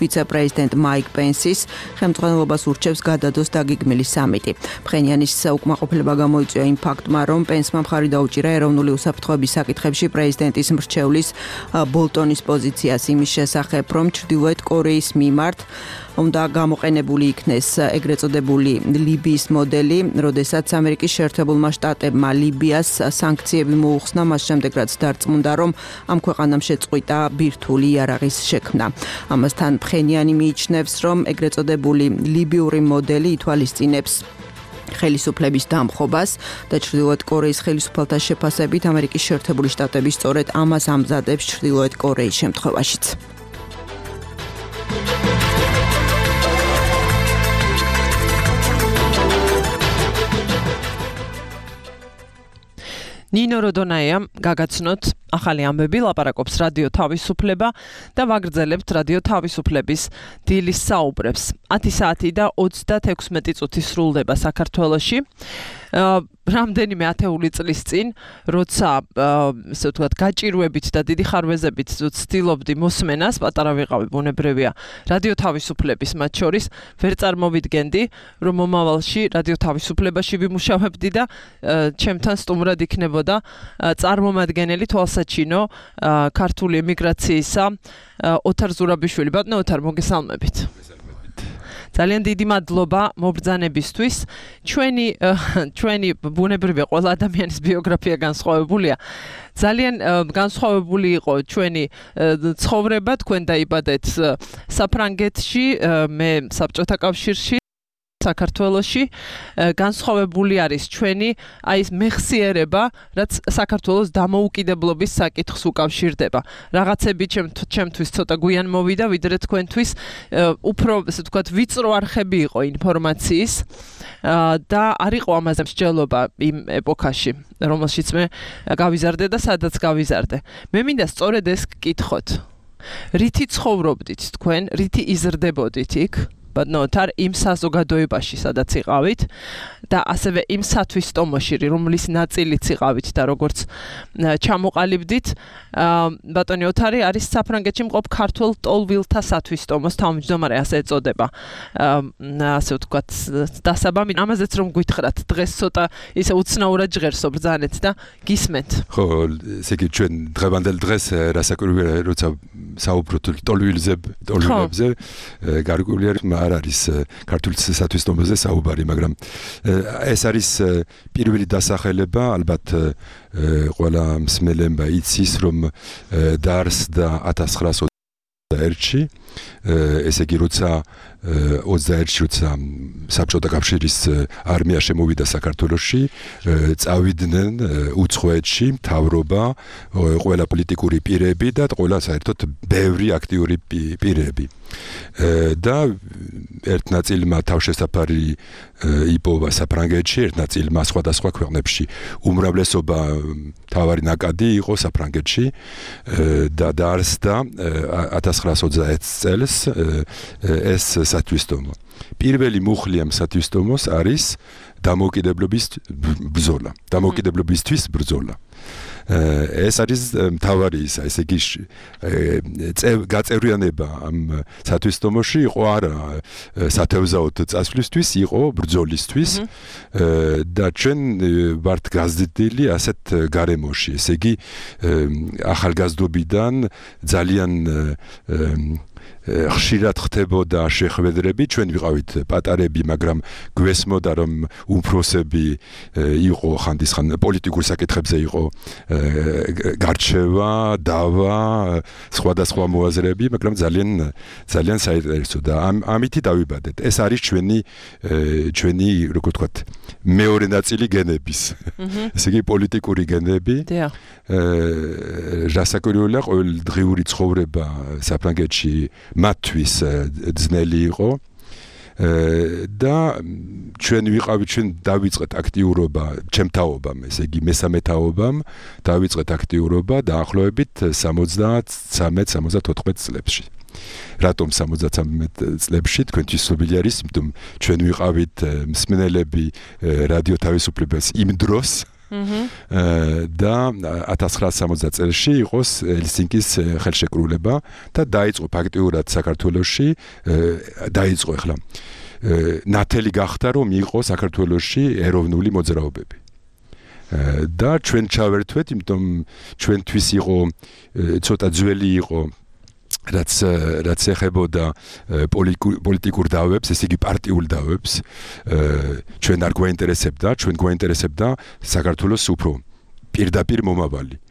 ვიცე-პრეზიდენტ მაიკ პენსის, ხელმძღვანელობას ურჩევს გადადოს დაგეგმილი სამიტი. ფხენიანის უკმაყოფილება გამოიწვია იმ ფაქტმა, რომ პენსმა მხარი დაუჭირა ეროვნული უსაფრთხოების საკითხებში პრეზიდენტის მრჩევლის ბოლტონის პოზიციას იმის შესახებ, რომ ჩრდილოეთ კორეის მიმართ უნდა გამოყენებული იქნეს ეგრეთ წოდებული ლიბიის მოდელი, როდესაც ამერიკის შეერთებულმა შტატებმა ლიბიას სანქციები მოუხსნა, მას შემდეგ რაც დარწმუნდა, რომ ამ ქვეყანამ შეწყვიტა ბირთვული იარაღის შექმნა. ამასთან ფხენიანი მიიჩნევს, რომ ეგრეთ წოდებული ლიბიური მოდელი ითვალისწინებს ხელისუფლების დამხობას და ჩრდილოეთ კორეის ხელისუფალთა შეფასებით ამერიკის შეერთებული შტატები სწორედ ამას ამზადებს ჩრდილოეთ კორეის შემთხვევაშიც. ნინო როდონაიამ გაგაცნოთ ახალი ამბები, ლაპარაკობს რადიო თავისუფლება და ვაგრძელებთ რადიო თავისუფლების დილის საუბრებს. 10 საათი და 36 წუთი სრულდება საქართველოში. რამდენიმე ათეული წლის წინ, როცა ესე ვთქვათ, გაჭირვებით და დიდი ხარვეზებით ვცდილობდი მოსმენას, პატარა ვიყავი, ბუნებრივია, რადიო თავისუფლების მათ შორის, ვერ წარმოვიდგენდი, რომ მომავალში რადიო თავისუფლებაში ვიმუშავებდი და ჩემთან სტუმრად იქნებოდა წარმომადგენელი თვალსაჩინო ქართული ემიგრაციისა ოთარ ზურაბიშვილი. ბატონო ოთარ, მოგესალმებით. ძალიან დიდი მადლობა მობრძანებისთვის. ჩვენი ბუნებრივია ყველა ადამიანის ბიოგრაფია განსხვავებულია. ძალიან განსხვავებული იყო ჩვენი ცხოვრება, თქვენ დაიბადეთ საფრანგეთში, მე საბჭოთა კავშირში, საქართველოში, განსხვავებული არის ჩვენი აი ეს მეხსიერება, რაც საქართველოს დამოუკიდებლობის საკითხს უკავშირდება. რაღაცები ჩემთვის ცოტა გვიან მოვიდა, ვიდრე თქვენთვის უფრო, ესე ვთქვათ, ვიწრო არხები იყო ინფორმაციის და არ იყო ამაზე მსჯელობა იმ ეპოქაში, რომელშიც მე გავიზარდე და სადაც გავიზარდე. მე მინდა სწორედ ეს გკითხოთ. რითი ცხოვრობდით თქვენ, რითი იზრდებოდით იქ? ბატონოთარ იმ საზოგადოებაში, სადაც იყავით და ასევე იმ სათვისტომოში, რომლის ნაწილიც იყავით და როგორც ჩამოყალიბდით, ბატონი ოთარი არის საფრანგეთში მყოფ ქართულ ტოლვილთა სათვისტომოს თავმჯდომარე, ასე ეწოდება. ასე ვთქვათ, დასაბამი ამაზეც რომ გვითხრათ, დღეს ცოტა ისე უცნაურად ჟღერსო ბრძანეთ და გისმენთ. ხო, ესე იგი ჩვენ დღევანდელ დღეს რასაკვირველია, როცა საუბრობთ ტოლვილებზე, გარკვეული არ არის ქართული სათვისტომოზე საუბარი, მაგრამ ეს არის პირველი დასახელება, ალბათ ყველა მსმელებმა იცის, რომ დაარსდა 1921-ში, ესე იგი როცა 21-ში როცა საბჭოთა კავშირის არმია შემოვიდა საქართველოში, წავიდნენ უცხოეთში მთავრობა, ყველა პოლიტიკური პირები და ყველა საერთოდ ბევრი აქტიური პირები. და ერთ ნაწილმა თავშესაფარი იპოვა საფრანგეთში, ერთ ნაწილმა სხვადასხვა ქვეყნებში. უმრავლესობა მთავარი ნაკადი იყო საფრანგეთში და დაარსდა 1921 წელს ეს სათვისტომო. პირველი მუხლი ამ სათვისტომოს არის დამოუკიდებლობისთვის ბრძოლა. ეს არის მთავარი ისა, ესე იგი გაწევრიანება ამ სათვისტომოში იყო არა სათევზაოდ წასვლისთვის, იყო ბრძოლისთვის და ჩვენ ვართ გაზრდილი ასეთ გარემოში, ესე იგი ახალგაზრდობიდან ძალიან ხშირად ხდებოდა შეხვედრები, ჩვენ ვიყავით პატარები, მაგრამ გვესმოდა რომ უფროსები იყო ხანდისხან პოლიტიკურ საკითხებზე იყო გარჩევა, დავა, სხვადასხვა მოაზრეები, მაგრამ ძალიან საინტერესო და ამითი დავიბადეთ. ეს არის ჩვენი როგორ ვთქვათ, მეორე ნაწილი გენების. ესე იგი პოლიტიკური გენები. რასაკვირველია, ყოველდღიური ცხოვრება საფრანგეთში მათთვის ძნელი იყო და ჩვენ დავიწყეთ აქტიურობა ჩემთაობამ, ესე იგი მესამეთაობამ დავიწყეთ აქტიურობა დაახლოებით 73-74 წლებში. რატომ 73 წლებში თქვენთვის ცნობილი არის, იმიტომ ჩვენ ვიყავით მსმენელები რადიო თავისუფლებას იმ დროს და 1960 წელს იყოს ელსინკის ხელშეკრულება და დაიწყო ფაქტიურად საქართველოში დაიწყო ახლა ნათელი გახდა რომ იყო საქართველოში ეროვნული მოძრაობები და ჩვენ ჩავერთვეთ, იმიტომ ჩვენთვის იყო ცოტა ძველი იყო რაც ეხებოდა პოლიტიკურ დავებს, ესე იგი პარტიულ დავებს, ჩვენ არ გვაინტერესებდა საქართველოს უფრო პირდაპირ მომავალი.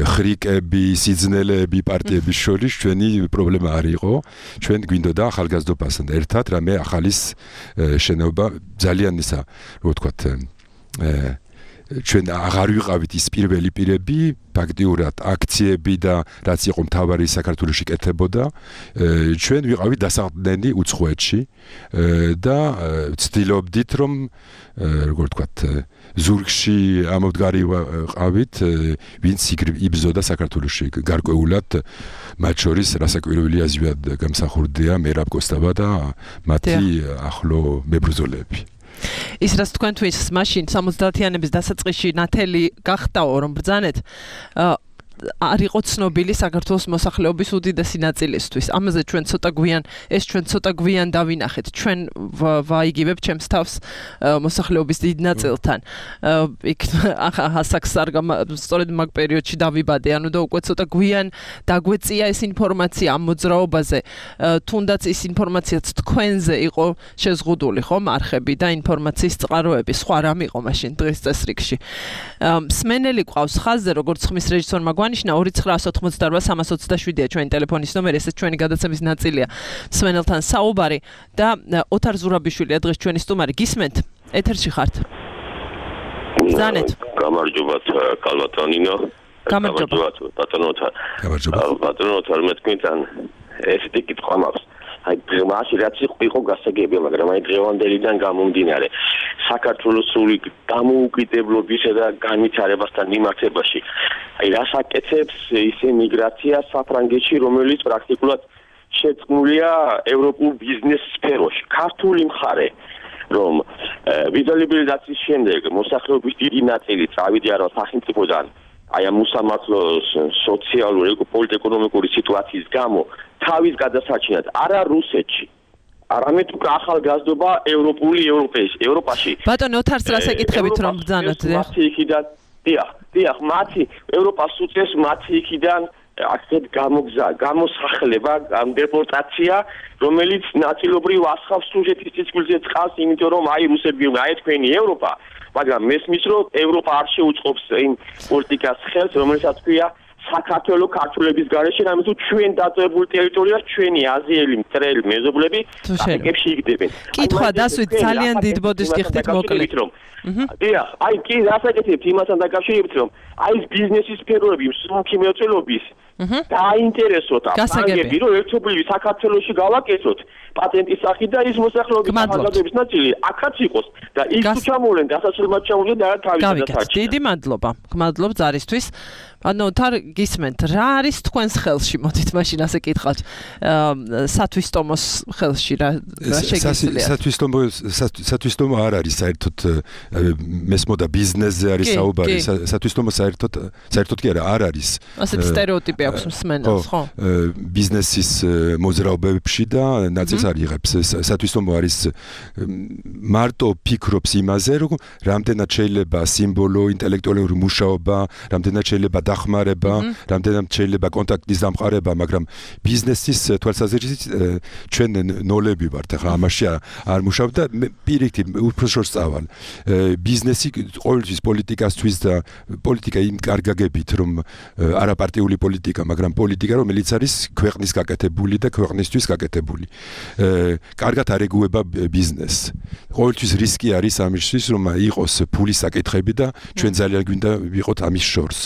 ხრიკები, სიძნელეები პარტიების შორის ჩვენი პრობლემა არ იყო. ჩვენ გვინდოდა ახალგაზრდობასთან ერთად რამე ახალის შენობა ძალიან ისა, რო ვთქვათ, ჩვენ აღარ ვიყავით ის პირველი პირები, ფაქტიურად აქციები და რაც იყო მთავარი საქართველოში კეთებოდა, ჩვენ ვიყავით დასაყრდენი უცხოეთში და ვცდილობდით რომ როგორ ვთქვათ, ზურგში ამოდგარი ვიყავით, ვინც იბრძოდა საქართველოში გარკვეულად, მათ შორის რასაკვირველია ზვიად გამსახურდია მერაბ კოსტავა და მათი ახლო მებრძოლები. ის რაც თქვენთვის მაშინ 70-იანების დასაწყისში ნათელი გახდაო რომ ბრძანეთ არ იყო ცნობილი საქართველოს მოსახლეობის უდიდესი ნაწილისთვის. ამაზე ჩვენ ცოტა გვიან დავინახეთ. ჩვენ ვაიგივებ ჩემს თავს მოსახლეობის დიდ ნაწილთან. იქ ასაკს სწორედ მაგ პერიოდში დავიბადე, ანუ და უკვე ცოტა გვიან დაგვეწია ეს ინფორმაცია ამ მოძრაობაზე. თუნდაც ის ინფორმაციაც თქვენზე იყო შეზღუდული, ხომ, არხები და ინფორმაციის წყაროები, სხვა რამ იყო მაშინ დღის წესრიგში. მსმენელი ყავს ხაზზე, როგორც ხმის რეჟისორმა ნიშნა 2988327-ია ჩვენი ტელეფონის ნომერი, ესეც ჩვენი გადაცემის ნაწილია. მსმენელთან საუბარი და ოთარ ზურაბიშვილია დღეს ჩვენი სტუმარი. გისმენთ? ეთერში ხართ. ბრძანეთ. გამარჯობათ კალბატონინო. გამარჯობათ ბატონოთარ. ბატონოთარ, მე თქვენთან ესეთი კითხვა მაქვს. აი დღემაში რაც იყო გასაგები, მაგრამ აი დღევანდელიდან გამომდინარე საქართველოს სრული დამოუკიდებლობისა და განვითარებასთან მიმართებაში აი რას აკეთებს ის მიგრაცია საფრანგეთში, რომელიც პრაქტიკულად შეწყმულია ევროპულ ბიზნეს სფეროში. ქართული მხარე რომ ვიზალიბილიზაციის შემდეგ მოსახლეობის დიდი ნაწილი წავიდა რა სახელმწიფოდან აი ამ უსამართლო სოციალური პოლიტიკურ-ეკონომიკური სიტუაციის გამო თავის გადასარჩენად არა რუსეთში, არამედ უკვე ახალგაზრდობა ევროპაში. ბატონო ოთარს რას ეკითხებით რომ ბრძანოთ? მათი იქიდან, დიახ, მათი ევროპას უწევს მათი იქიდან აქეთ გამოსახლება, დეპორტაცია, რომელიც ნაწილობრივ ასხავს სუჟეტის ციცკვილზე წყალს, იმიტომ რომ აი რუსები აი თქვენი ევროპა, მაგრამ მესმის რომ ევროპა არ შეუწყობს იმ პოლიტიკას ხელს, რომელსაც ქვია საქართველოს ქართულების გარეშე, რამე თუ ჩვენ დაწევებულ ტერიტორიას ჩვენი აზიელი მტრელი მეზობლები აფრიკებში იგდებენ. კითხვა დასვით ძალიან დიდ ბოდიშს გიხდით მოკლედ. დიახ, აი კი რასაკეთებთ იმასთან დაკავშირებით რომ აი ეს ბიზნესის სფეროები, მსუბუქი მრეწველობის დაინტერესოთ ფრანგები რომ ერთობლივი საქართველოში გავაკეთოთ პატენტის სახით და ის მოსახლეობის ახალგაზრდების ნაწილი აქაც იყოს და ის თუ ჩამოვლენ დასასრულებლად ჩამოვლენ და თავისად საჭირო. დიდი მადლობა. გმადლობ ზარისთვის. ანუ თარ გისმენთ რა არის თქვენს ხელში მოდით მაშინ ასე კითხავთ სათვისტომოს ხელში რა შეგიძლიათ სათვისტომო არ არის საერთოდ მესმოდა ბიზნესზე არის საუბარი სათვისტომო საერთოდ კი არ არის ასეთი სტერეოტიპი აქვს მსმენელს ხო ბიზნესის მოძრაობებში და ნაწილს არ იღებს სათვისტომო არის მარტო ფიქრობს იმაზე რომ რამდენად შეიძლება სიმბოლო ინტელექტუალური მუშაობა რამდენად შეიძლება დახმარება, რამდენად შეიძლება კონტაქტის დამყარება, მაგრამ ბიზნესის თვალსაზრისით ჩვენ ნოლები ვართ, ახლა ამაში არ მუშავ და პირიქით უბრალოდ წავალ. ბიზნესი ყოველთვის პოლიტიკასთვის და პოლიტიკა იმ კარგაგებით, რომ არაპარტიული პოლიტიკა, მაგრამ პოლიტიკა, რომელიც არის ქვეყნის გაკეთებული და ქვეყნისთვის გაკეთებული. კარგად არეგუება ბიზნესს. ყოველთვის რისკი არის ამისთვის, რომ იყოს ფულის საკითხები და ჩვენ ძალიან გვინდა ვიყოთ ამის შორს.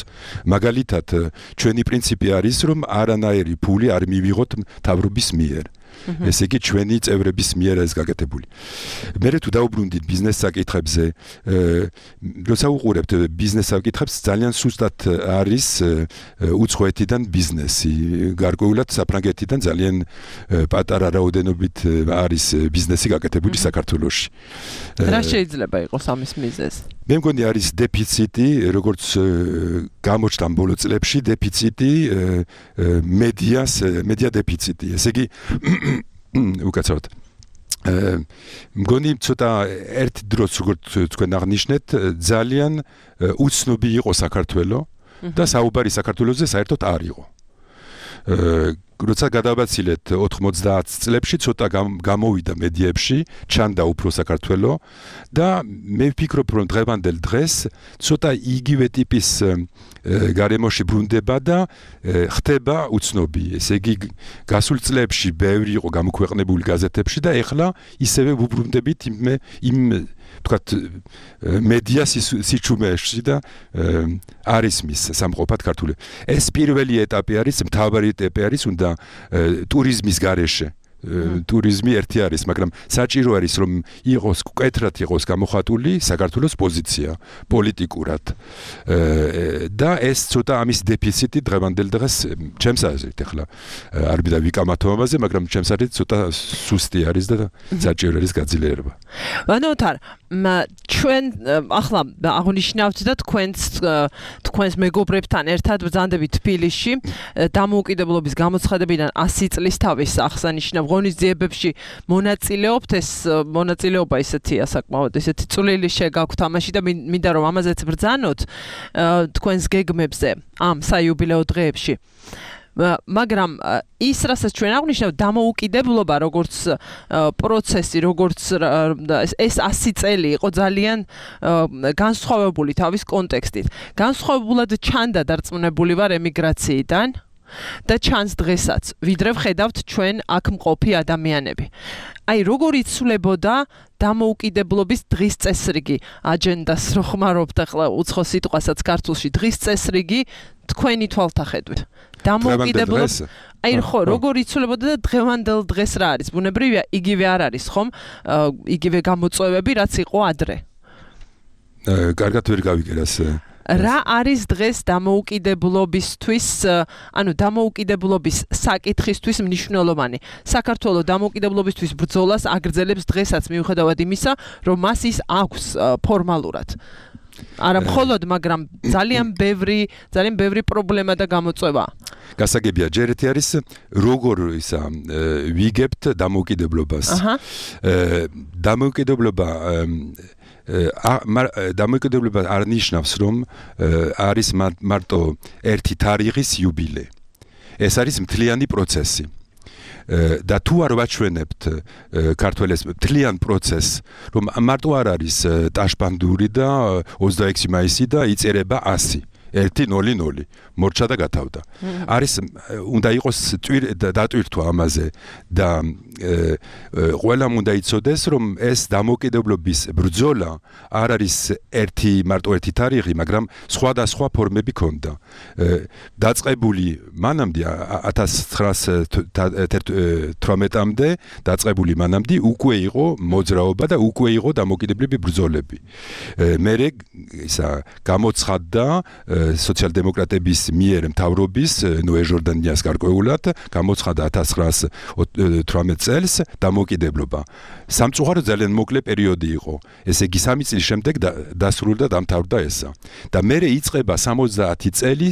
მაგალითად, ჩვენი პრინციპი არის, რომ არანაირი ფული არ მივიღოთ მთავრობის მიერ. ესე იგი, ჩვენი წევრების მიერ ეს გაკეთებული. მე თუ დაუბრუნდით ბიზნეს საკითხებზე, როცა უყურებთ ბიზნეს საკითხებს, ძალიან სუსტად არის უცხოეთიდან ბიზნესი. გარკვეულად საფრანგეთიდან ძალიან პატარა რაოდენობით არის ბიზნესი გაკეთებული საქართველოში. რა შეიძლება იყოს ამის მიზეზი? მე მგონი არის დეფიციტი, როგორც გამოჩნდა ბოლო წლებში, დეფიციტი მედია დეფიციტი. ესე იგი, უკაცრავად. მგონი ცოტა ერთ დროს, როგორც თქვენ აღნიშნეთ, ძალიან უცნობი იყო საქართველო და საუბარი საქართველოზე საერთოდ არ იყო. როცა გადავაცილეთ 90 წლებში ცოტა გამოვიდა მედიებში, ჩანდა უფრო საქართველო და მე ვფიქრობ, რომ დღევანდელ დღეს ცოტა იგივე ტიპის გარემოში ბრუნდება და ხდება უცნობი. ესე იგი, გასულ წლებში ბევრი იყო გამოქვეყნებული გაზეთებში და ეხლა ისევე ვუბრუნდებით იმ თქვათ მედია სიჩუმეში და არის მის სამყოფად ქართული. ეს პირველი ეტაპი არის, მთავარი ეტაპი არის, უნდა ტურიზმის გარეშე. ტურიზმი ერთი არის, მაგრამ საჭირო არის, რომ იყოს კეთრად იყოს გამოხატული საქართველოს პოზიცია პოლიტიკურად. და ეს ცოტა ამის დეფიციტი დღევანდელ დღეს ჩემს აზრით ახლა არ მინდა ვიკამათო ამაზე, მაგრამ ჩემს აზრით ცოტა სუსტი არის და საჭირო არის გაძლიერება. ვანოთარ, ჩვენ ახლა აღნიშნავთ და თქვენს მეგობრებთან ერთად ბრძანდებით თბილისში დამოუკიდებლობის გამოცხადებიდან 100 წლის თავის აღსანიშნავ ღონისძიებებში მონაწილეობთ. ეს მონაწილეობა ისეთია საკმაოდ ისეთი წვლილი შეგაქვთ ამაში და მინდა რომ ამაზეც ბრძანოთ თქვენს გეგმებზე ამ საიუბილეო დღეებში. მაგრამ ის რასაც ჩვენ აღნიშნავთ დამოუკიდებლობა როგორც პროცესი, როგორც ეს 100 წელი იყო ძალიან განსხვავებული თავის კონტექსტით. განსხვავებულად ჩანდა დარწმუნებული ვარ ემიგრაციიდან და ჩანს დღესაც, ვიდრე ვხედავთ ჩვენ აქ მყოფი ადამიანები. აი, როგორ იცვლებოდა დამოუკიდებლობის დღის წესრიგი, აჯენდას რო ხმარობთ ახლა უცხო სიტყვასაც ქართულში, დღის წესრიგი თქვენი თვალთახედვით. დამოუკიდებლობა აი ხო, როგორ იცვლებოდა და დღევანდელ დღეს რა არის? ბუნებრივია, იგივე არ არის, ხომ? იგივე გამოწვევები, რაც იყო ადრე. კარგად ვერ გავიგერას. რა არის დღეს დამოუკიდებლობისთვის, ანუ დამოუკიდებლობის საკითხისთვის მნიშვნელოვანი? საქართველოს დამოუკიდებლობისთვის ბრძოლას აგრძელებს დღესაც მიუხედავად იმისა, რომ მას ის აქვს ფორმალურად. არა მხოლოდ, მაგრამ ძალიან ბევრი პრობლემა და გამოწვევა. გასაგებია, ჯერ ერთი არის როგორ ისა ვიგებთ დამოუკიდებლობას. დამოუკიდებლობა არ ნიშნავს, რომ არის მარტო ერთი თარიღის იუბილე. ეს არის მთლიანი პროცესი. და თუ არ ვაჩვენებთ ქართველებს მთლიან პროცესს, რომ მარტო არ არის ტაშპანდური და 26 მაისი და იწერება 100. 1-0-0 მორჩა და გათავდა. არის უნდა იყოს დატვირთვა ამაზე და ყველამ უნდა იცოდეს რომ ეს დამოუკიდებლობის ბრძოლა არ არის მარტო ერთი თარიღი, მაგრამ სხვადასხვა ფორმები ქონდა. დაწყებული მანამდე 1918-მდე დაწყებული მანამდე უკვე იყო მოძრაობა და უკვე იყო დამოუკიდებლები ბრძოლები. მერე ისა გამოცხადდა სოციალ-დემოკრატების მიერ მთავრობის ნოე ჟორდანიას გარკვეულად გამოცხადდა 1918 წელს დამოუკიდებლობა. სამწუხაროდ ძალიან მოკლე პერიოდი იყო. ესე იგი 3 წლის შემდეგ დასრულდა და დამთავრდა ესა. და მერე იწყება 70 წელი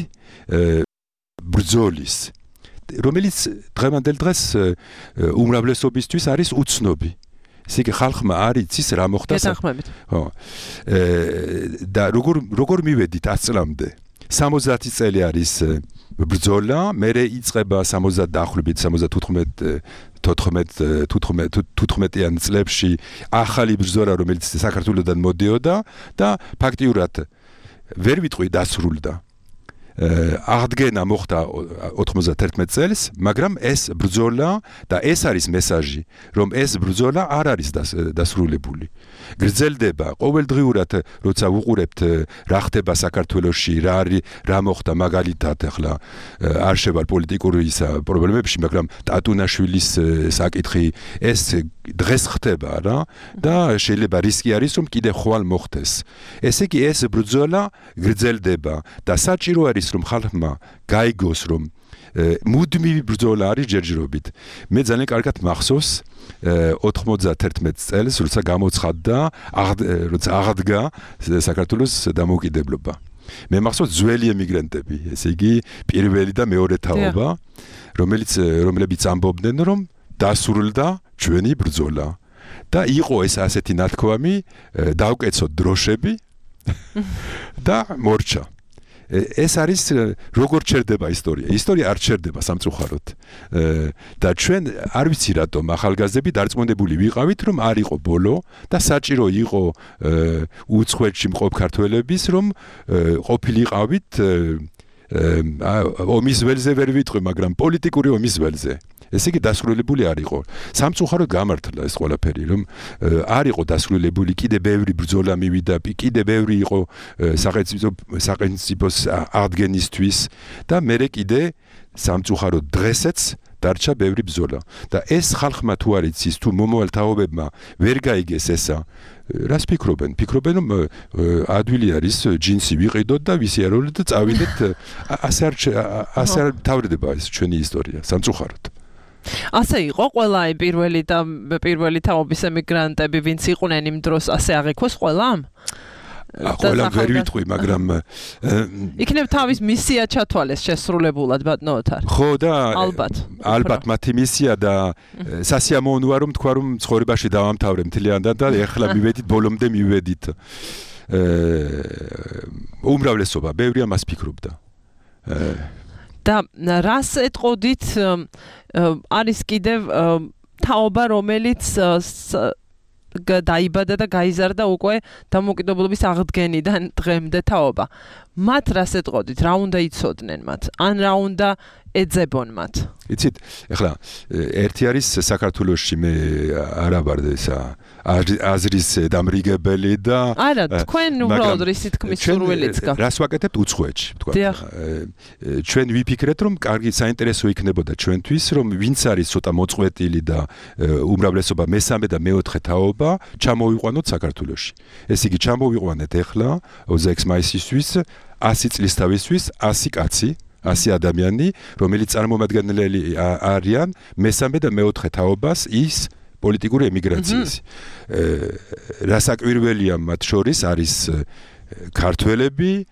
ბრძოლის, რომელიც დღევანდელ დღეს უმრავლესობისთვის არის უცნობი. ესე იგი ხალხმა არ იცის რა მოხდა. ხო. და როგორ მივედით 100 წლამდე? 70 წელი არის ბრძოლა, მერე იწყება 70 დაახლოებით 15-18 წლებში ახალი ბრძოლა, რომელიც საქართველოსდან მოდიოდა და ფაქტიურად ვერ ვიტყვი დასრულდა. აღდგენა მოხდა 91 წელს, მაგრამ ეს ბრძოლა და ეს არის მესაჟი, რომ ეს ბრძოლა არ არის დასრულებული. გრძელდება ყოველდღიურად, როცა ვუყურებთ რა ხდება საქართველოში, რა მოხდა მაგალითად, ახლა არ შევარ პოლიტიკური პრობლემებში, მაგრამ ტატუნაშვილის საკითხი ეს დღეს ხდება რა და შეიძლება რისკი არის რომ კიდე ხვალ მოხდეს. ესე იგი ეს ბრძოლა გრძელდება და საჭირო არის რომ ხალხმა გაიგოს რომ მუდმივი ბრძოლა არის ჯერჯერობით. მე ძალიან კარგად მახსოვს 91 წელს როცა გამოცხადდა როცა აღდგა საქართველოს დამოუკიდებლობა. მე მახსოვს ძველი ემიგრანტები, ესე იგი პირველი და მეორე თაობა, რომლებიც ამბობდნენ რომ დასრულდა ჩვენი ბრძოლა და იყო ეს ასეთი ნათქვამი, დავკეცოთ დროშები და მორჩა. ეს არის როგორ ჩერდება ისტორია. ისტორია არ ჩერდება სამწუხაროდ. და ჩვენ არ ვიცი რატომ ახალგაზრდები დარწმუნებული ვიყავით რომ არ იყო ბოლო და საჭირო იყო უცხოეთში მყოფ ქართველების რომ ყოფილიყავით ომის ველზე ვერ ვიტყვი, მაგრამ პოლიტიკური ომის ველზე. ესე იგი დასრულებული არ იყო. სამწუხაროდ გამართლა ეს ყველაფერი, რომ არ იყო დასრულებული, კიდე ბევრი ბრძოლა მივიდა, კიდე ბევრი იყო სახელმწიფოს აღდგენისთვის და მერე კიდე სამწუხაროდ დღესაც დარჩა ბევრი ბრძოლა. და ეს ხალხმა თუ არ იცის, თუ მომავალ თაობებმა ვერ გაიგეს ესა, რას ფიქრობენ? ფიქრობენ რომ ადვილი არის ჯინსი ვიყიდოთ და ვისიარულოთ და წავიდეთ. ასე არ თავრდება ეს ჩვენი ისტორია, სამწუხაროდ. ასე იყო ყველა პირველი თაობის ემიგრანტები, ვინც იყვნენ იმ დროს, ასე აღიქვეს ყველამ? ყველა ვერ ვიტყვი, მაგრამ იქნებ თავის მისია ჩათვალეს შესრულებულად ბატონო ოთარ. ხო და ალბათ მათი მისია და სასიამოვნოა რომ თქვა რომ ცხოვრებაში დავამთავრე მთლიანად და ეხლა მივედით ბოლომდე მივედით. უმრავლესობა ბევრი ამას ფიქრობდა. და რას ეტყოდით არის კიდევ თაობა რომელიც დაიბადა და გაიზარდა უკვე დამოუკიდებლობის აღდგენიდან დღემდე თაობა. მათ რას ეტყოდით? რა უნდა იცოდნენ მათ? ან რა უნდა ეძებონ მათ? იცით, ეხლა ერთი არის საქართველოში მე არა ვარ ესა აზრის დამრიგებელი და არა, თქვენ უბრალოდ რისი თქმის სურვილიც გაქვთ. რას ვაკეთებთ უცხოეთში, თქვა. ჩვენ ვიფიქრეთ რომ კარგი საინტერესო იქნებოდა ჩვენთვის რომ ვინც არის ცოტა მოწყვეტილი და უმრავლესობა მესამე და მეოთხე თაობა ჩამოვიყვანოთ საქართველოში. ეს იგი ჩამოვიყვანეთ ეხლა 26 მაისისთვის 100 წლის თავისთვის 100 კაცი 100 ადამიანი, რომელიც წარმომადგენლები არიან მესამე და მეოთხე თაობას ის პოლიტიკური ემიგრაციის. რასაკვირველია მათ შორის არის ქართველები,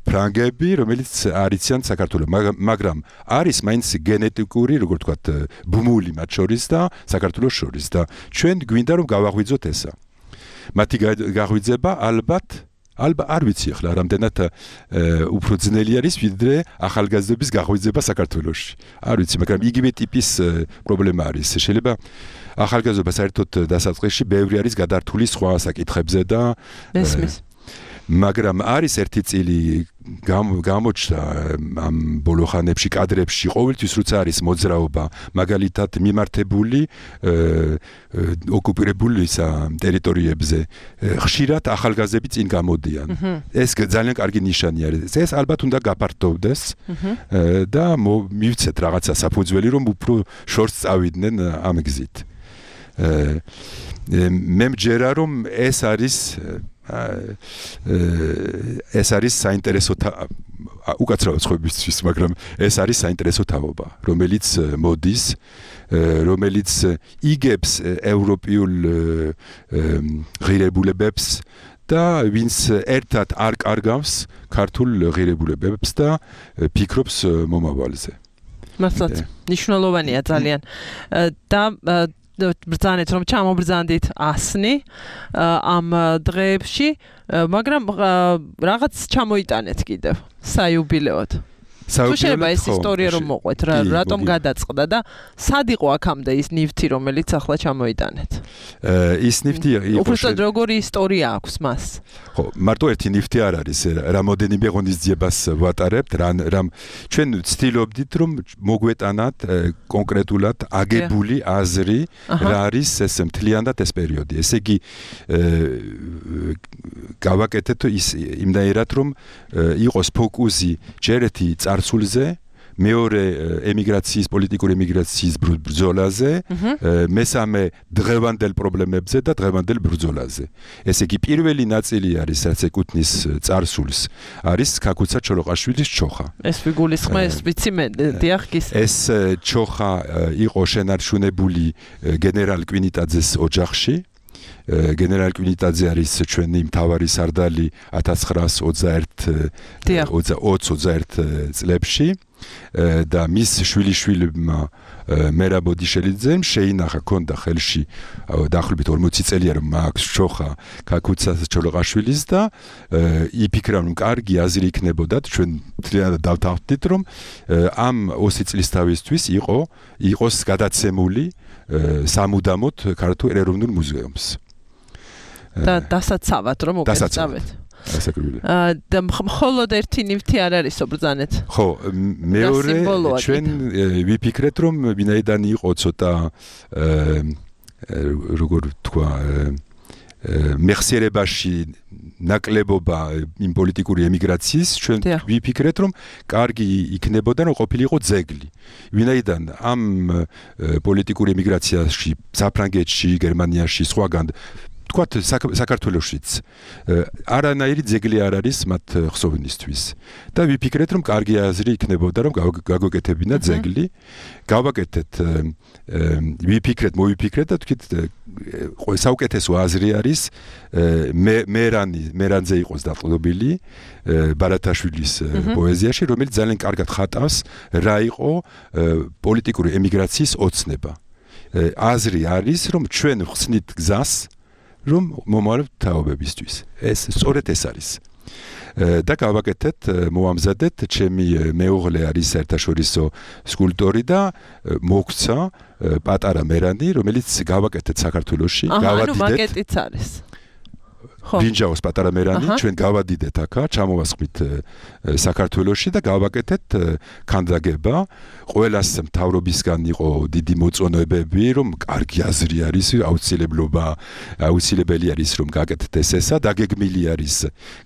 ფრანგები, რომელიც არიციან საქართველოს, მაგრამ არის მაინც გენეტიკური, როგორ ვთქვათ, ბუმული მათ შორის და საქართველოს შორის და ჩვენ გვინდა რომ გავაღვიძოთ ესა. მათი გაღვიძება ალბათ არ ვიცი ახლა რამდენად უფრო ძნელი არის ვიდრე ახალგაზრდების გაღვიძება საქართველოში. არ ვიცი, მაგრამ იგივე ტიპის პრობლემა არის. შეიძლება ახალგაზრდობა საერთოდ დასაწყისში ბევრი არის გადართული სხვა საკითხებზე და მაგრამ არის ერთი წილი გამოჩნდა ამ ბოლო ხანებში კადრებში ყოველთვის როცა არის მოძრაობა მაგალითად მიმართებული ოკუპირებული ტერიტორიებზე ხშირად ახალგაზრდები წინ გამოდიან ეს ძალიან კარგი ნიშანი არის ეს ალბათ უნდა გაფართოვდეს და მივცეთ რაღაცა საფუძველი რომ უფრო შორს წავიდნენ ამ გზით მე მჯერა რომ ეს არის საინტერესო უკაცრავად ხვებისთვის, მაგრამ ეს არის საინტერესო თაობა, რომელიც მოდის, რომელიც იგებს ევროპულ ღირებულებებს და ვინც ერთად არ კარგავს ქართულ ღირებულებებს და ფიქრობს მომავალზე. მართლაც, მნიშვნელოვანია ძალიან. და ბრძანეთ რომ ჩამობრძანდით ასნი ამ დღეებში, მაგრამ რაღაც ჩამოიტანეთ კიდევ საიუბილეოდ. თუ შეიძლება ეს ისტორია რომ მოყვეთ, რატომ გადაწყდა და სად იყო აქამდე ის ნივთი, რომელიც ახლა ჩამოიტანეთ? ის ნივთი იყო უბრალოდ როგორი ისტორია აქვს მას? ხო, მარტო ერთი ნივთი არ არის, რამოდენიმე ღონისძიებას ვატარებთ, რამ ჩვენ ვცდილობდით რომ მოგვეტანათ კონკრეტულად აგებული აზრი, რა არის ეს მთლიანად ეს პერიოდი. ესე იგი გავაკეთეთ ის იმდაერად რომ იყოს ფოკუსი ჯერეთი წარსულზე, მეორე ემიგრაციის, პოლიტიკური ემიგრაციის ბრძოლაზე, მესამე დღევანდელ პრობლემებზე და დღევანდელ ბრძოლაზე. ესე იგი პირველი ნაწილი არის, რაც ეკუთვნის წარსულს, არის ქაქუცა ჩოლოყაშვილის ჩოხა. ეს ვიგულისხმეს, ვიცი მე, დიახ გის. ეს ჩოხა იყო შენარჩუნებული გენერალ კვინიტაძეს ოჯახში. გენერალ კვინიტაძე არის ჩვენი მთავარი სარდალი 1921 წლებში და მის შვილიშვილმა მერაბ ბოდიშელიძემ შეინახა ქონდა ხელში დაახლოებით 40 წელია რომ მაქვს ჩოხა ქაქუცა ჩოლოყაშვილის და იფიქრა რომ კარგი აზრი იქნებოდა ჩვენ მთლიანად დავთანხმდით რომ ამ 20 წლის თავისთვის იყოს გადაცემული სამუდამოდ ქართულ ეროვნულ მუზეუმს და დასაცავად რომ მოგეწავეთ. და მხოლოდ ერთი ნივთი არ არის ობრძანეთ. ხო, მეორე ჩვენ ვიფიქრეთ რომ ვინაიდან იყო ცოტა როგორ თქვა მეხსიერებაში ნაკლებობა იმ პოლიტიკური ემიგრაციის ჩვენ ვიფიქრეთ რომ კარგი იქნებოდა რომ ყოფილიყო ძეგლი. ვინაიდან ამ პოლიტიკური ემიგრაციაში საფრანგეთში, გერმანიაში, სხვაგან თქვათ საქართველოშიც არანაირი ძეგლი არ არის მათ ხსოვნისთვის და ვიფიქრეთ რომ კარგი აზრი იქნებოდა რომ გაგოკეთებინა ძეგლი გავაკეთეთ მოვიფიქრეთ და თქვით საუკეთესო აზრი არის მერანზე იყოს დაყრდნობილი ბარათაშვილის პოეზიაში რომელიც ძალიან კარგად ხატავს რა იყო პოლიტიკური ემიგრაციის ოცნება აზრი არის რომ ჩვენ ვხსნით გზას რომ მომავალ თაობებისთვის ეს სწორედ ეს არის და გავაკეთეთ მოამზადეთ ჩემი მეუღლე არის საერთაშორისო სკულპტორი და მოგცა პატარა მერანი რომელიც გავაკეთეთ საქართველოში გავადიდეთ ანუ მაკეტიც არის ბრინჯაოს პატარა მერანი ჩვენ გავადიდეთ აქა ჩამოვასხმით საქართველოში და გავაკეთეთ ქანდაგება ყველას მთავრობისგან იყო დიდი მოწონებები რომ კარგი აზრი არის აუცილებელი არის რომ გაკეთეთ ესა დაგეგმილი არის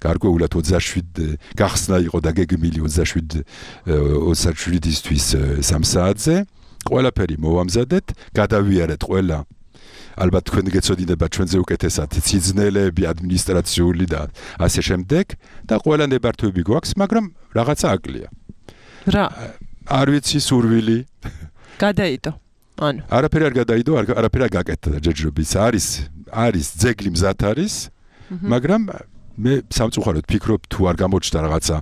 გარკვეულად 27 გახსნა იყო დაგეგმილი 27-ისთვის 3 საათზე ყველაფერი მოვამზადეთ გადავიარეთ ყველა ალბათ თქვენ გეცოდინება ჩვენზე უკეთესად სიძნელეები ადმინისტრაციული და ასე შემდეგ და ყველა ნებართვები გვაქვს მაგრამ რაღაცა აკლია რა არ ვიცი სურვილი გადაიდო ანუ არაფერი არ გადაიდო არაფერი არ გაკეთდა ჯერჯერობით არის ძეგლი მზად არის მაგრამ მე სამწუხაროდ ფიქრობ თუ არ გამოჩნდა რაღაცა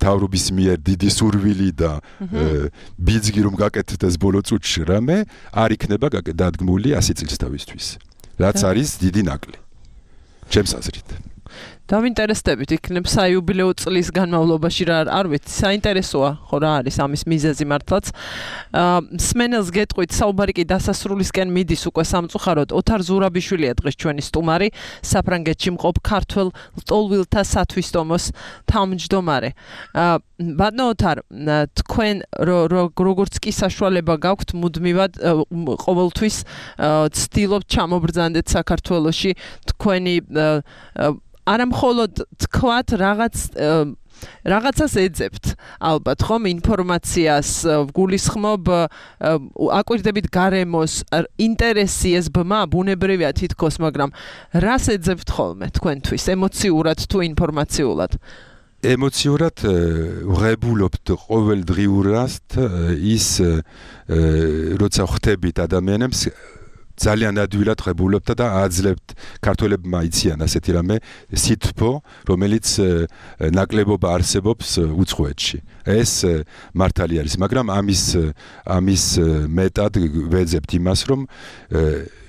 თავრობის მიერ დიდი სურვილი და ბიძგი რომ გაკეთდეს ეს ბოლო წუთში რამე არ იქნება დადგმული 100 წლის თავისთვის რაც არის დიდი ნაკლი ჩემს აზრით დავინტერესდებით, იქნებ საიუბილეო წლის განმავლობაში რა არ ვიცი, საინტერესოა, ხო რა არის ამის მიზეზი მართლაც. სმენელს გეტყვით, საუბარი კი დასასრულისკენ მიდის უკვე სამწუხაროდ. ოთარ ზურაბიშვილია დღეს ჩვენი სტუმარი, საფრანგეთში მყოფ ქართველ ლტოლვილთა სათვისტომოს თავმჯდომარე. ბატონო ოთარ, თქვენ როგორც კი საშუალება გაქვთ მუდმივად ყოველთვის ცდილობთ ჩამობრძანდეთ საქართველოში თქვენი არა მხოლოდ თქვათ რაღაცას ეძებთ ალბათ ხომ ინფორმაციას გულისხმობ აკვირდებით გარემოს ინტერესი ეს ბმა ბუნებრივია თითქოს მაგრამ რას ეძებთ ხოლმე თქვენთვის ემოციურად თუ ინფორმაციულად ემოციურად ვღებულობთ ყოველდღიურად ის როცა ხვდებით ადამიანებს ძალიან ადვილად ღებულობთ და აძლევთ ქართველებმა იციან ასეთი რამე სითბო, რომელიც ნაკლებობა არსებობს უცხოეთში. ეს მართალი არის, მაგრამ ამის მეტად ვეძებთ იმას, რომ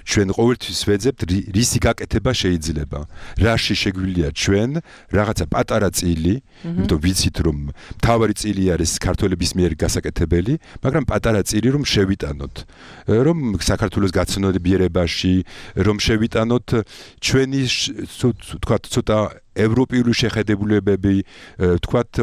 ჩვენ ყოველთვის ვეძებთ რისი გაკეთება შეიძლება. რაში შეგვიძლია ჩვენ რაღაცა პატარა წილი, იმიტომ ვიცით რომ მთავარი წილი არის ქართველების მიერ გასაკეთებელი, მაგრამ პატარა წილი რომ შევიტანოთ, რომ საქართველოს გაცნობიერებაში, რომ შევიტანოთ ჩვენი თქვა ცოტა ევროპული შეხედულებები, თქვათ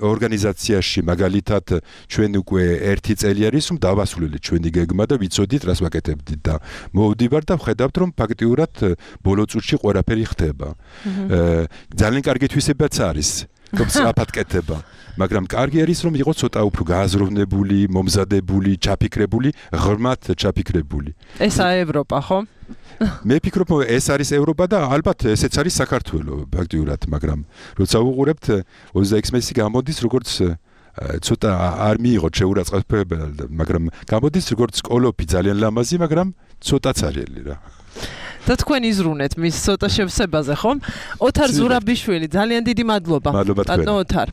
ორგანიზაციაში მაგალითად ჩვენ უკვე 1 წელი არის რომ დავასრულეთ ჩვენი გეგმა და ვიცოდით რას ვაკეთებდით და მოვდივარ და ვხედავთ რომ ფაქტიურად ბოლო წუთში ყველაფერი ხდება. ძალიან კარგი თვისებაც არის რომ სწრაფად კეთება, მაგრამ კარგი არის რომ იყოს ცოტა უფრო გააზროვნებული, მომზადებული, ჩაფიქრებული, ღრმად ჩაფიქრებული. ესაა ევროპა, ხო? მე ვფიქრობ, ეს არის ევროპა და ალბათ ესეც არის საქართველო ფაქტიურად, მაგრამ როცა უყურებთ 26 მესი გამოდის როგორც ცოტა არ მიიღოთ შეურაცხყოფებად, მაგრამ გამოდის როგორც კოლოფი ძალიან ლამაზი, მაგრამ ცოტა ცარიელი რა. და თქვენ იზრუნეთ მის ცოტა შევსებაზე, ხომ? ოთარ ზურაბიშვილი, ძალიან დიდი მადლობა. ბატონო ოთარ.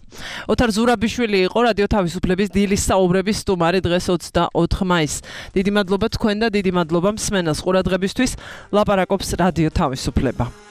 ოთარ ზურაბიშვილი იყო რადიო თავისუფლების დილის საუბრების სტუმარი დღეს 24 მაისს. დიდი მადლობა თქვენ და დიდი მადლობა მსმენელს ყურადღებისთვის. ლაპარაკობს რადიო თავისუფლება.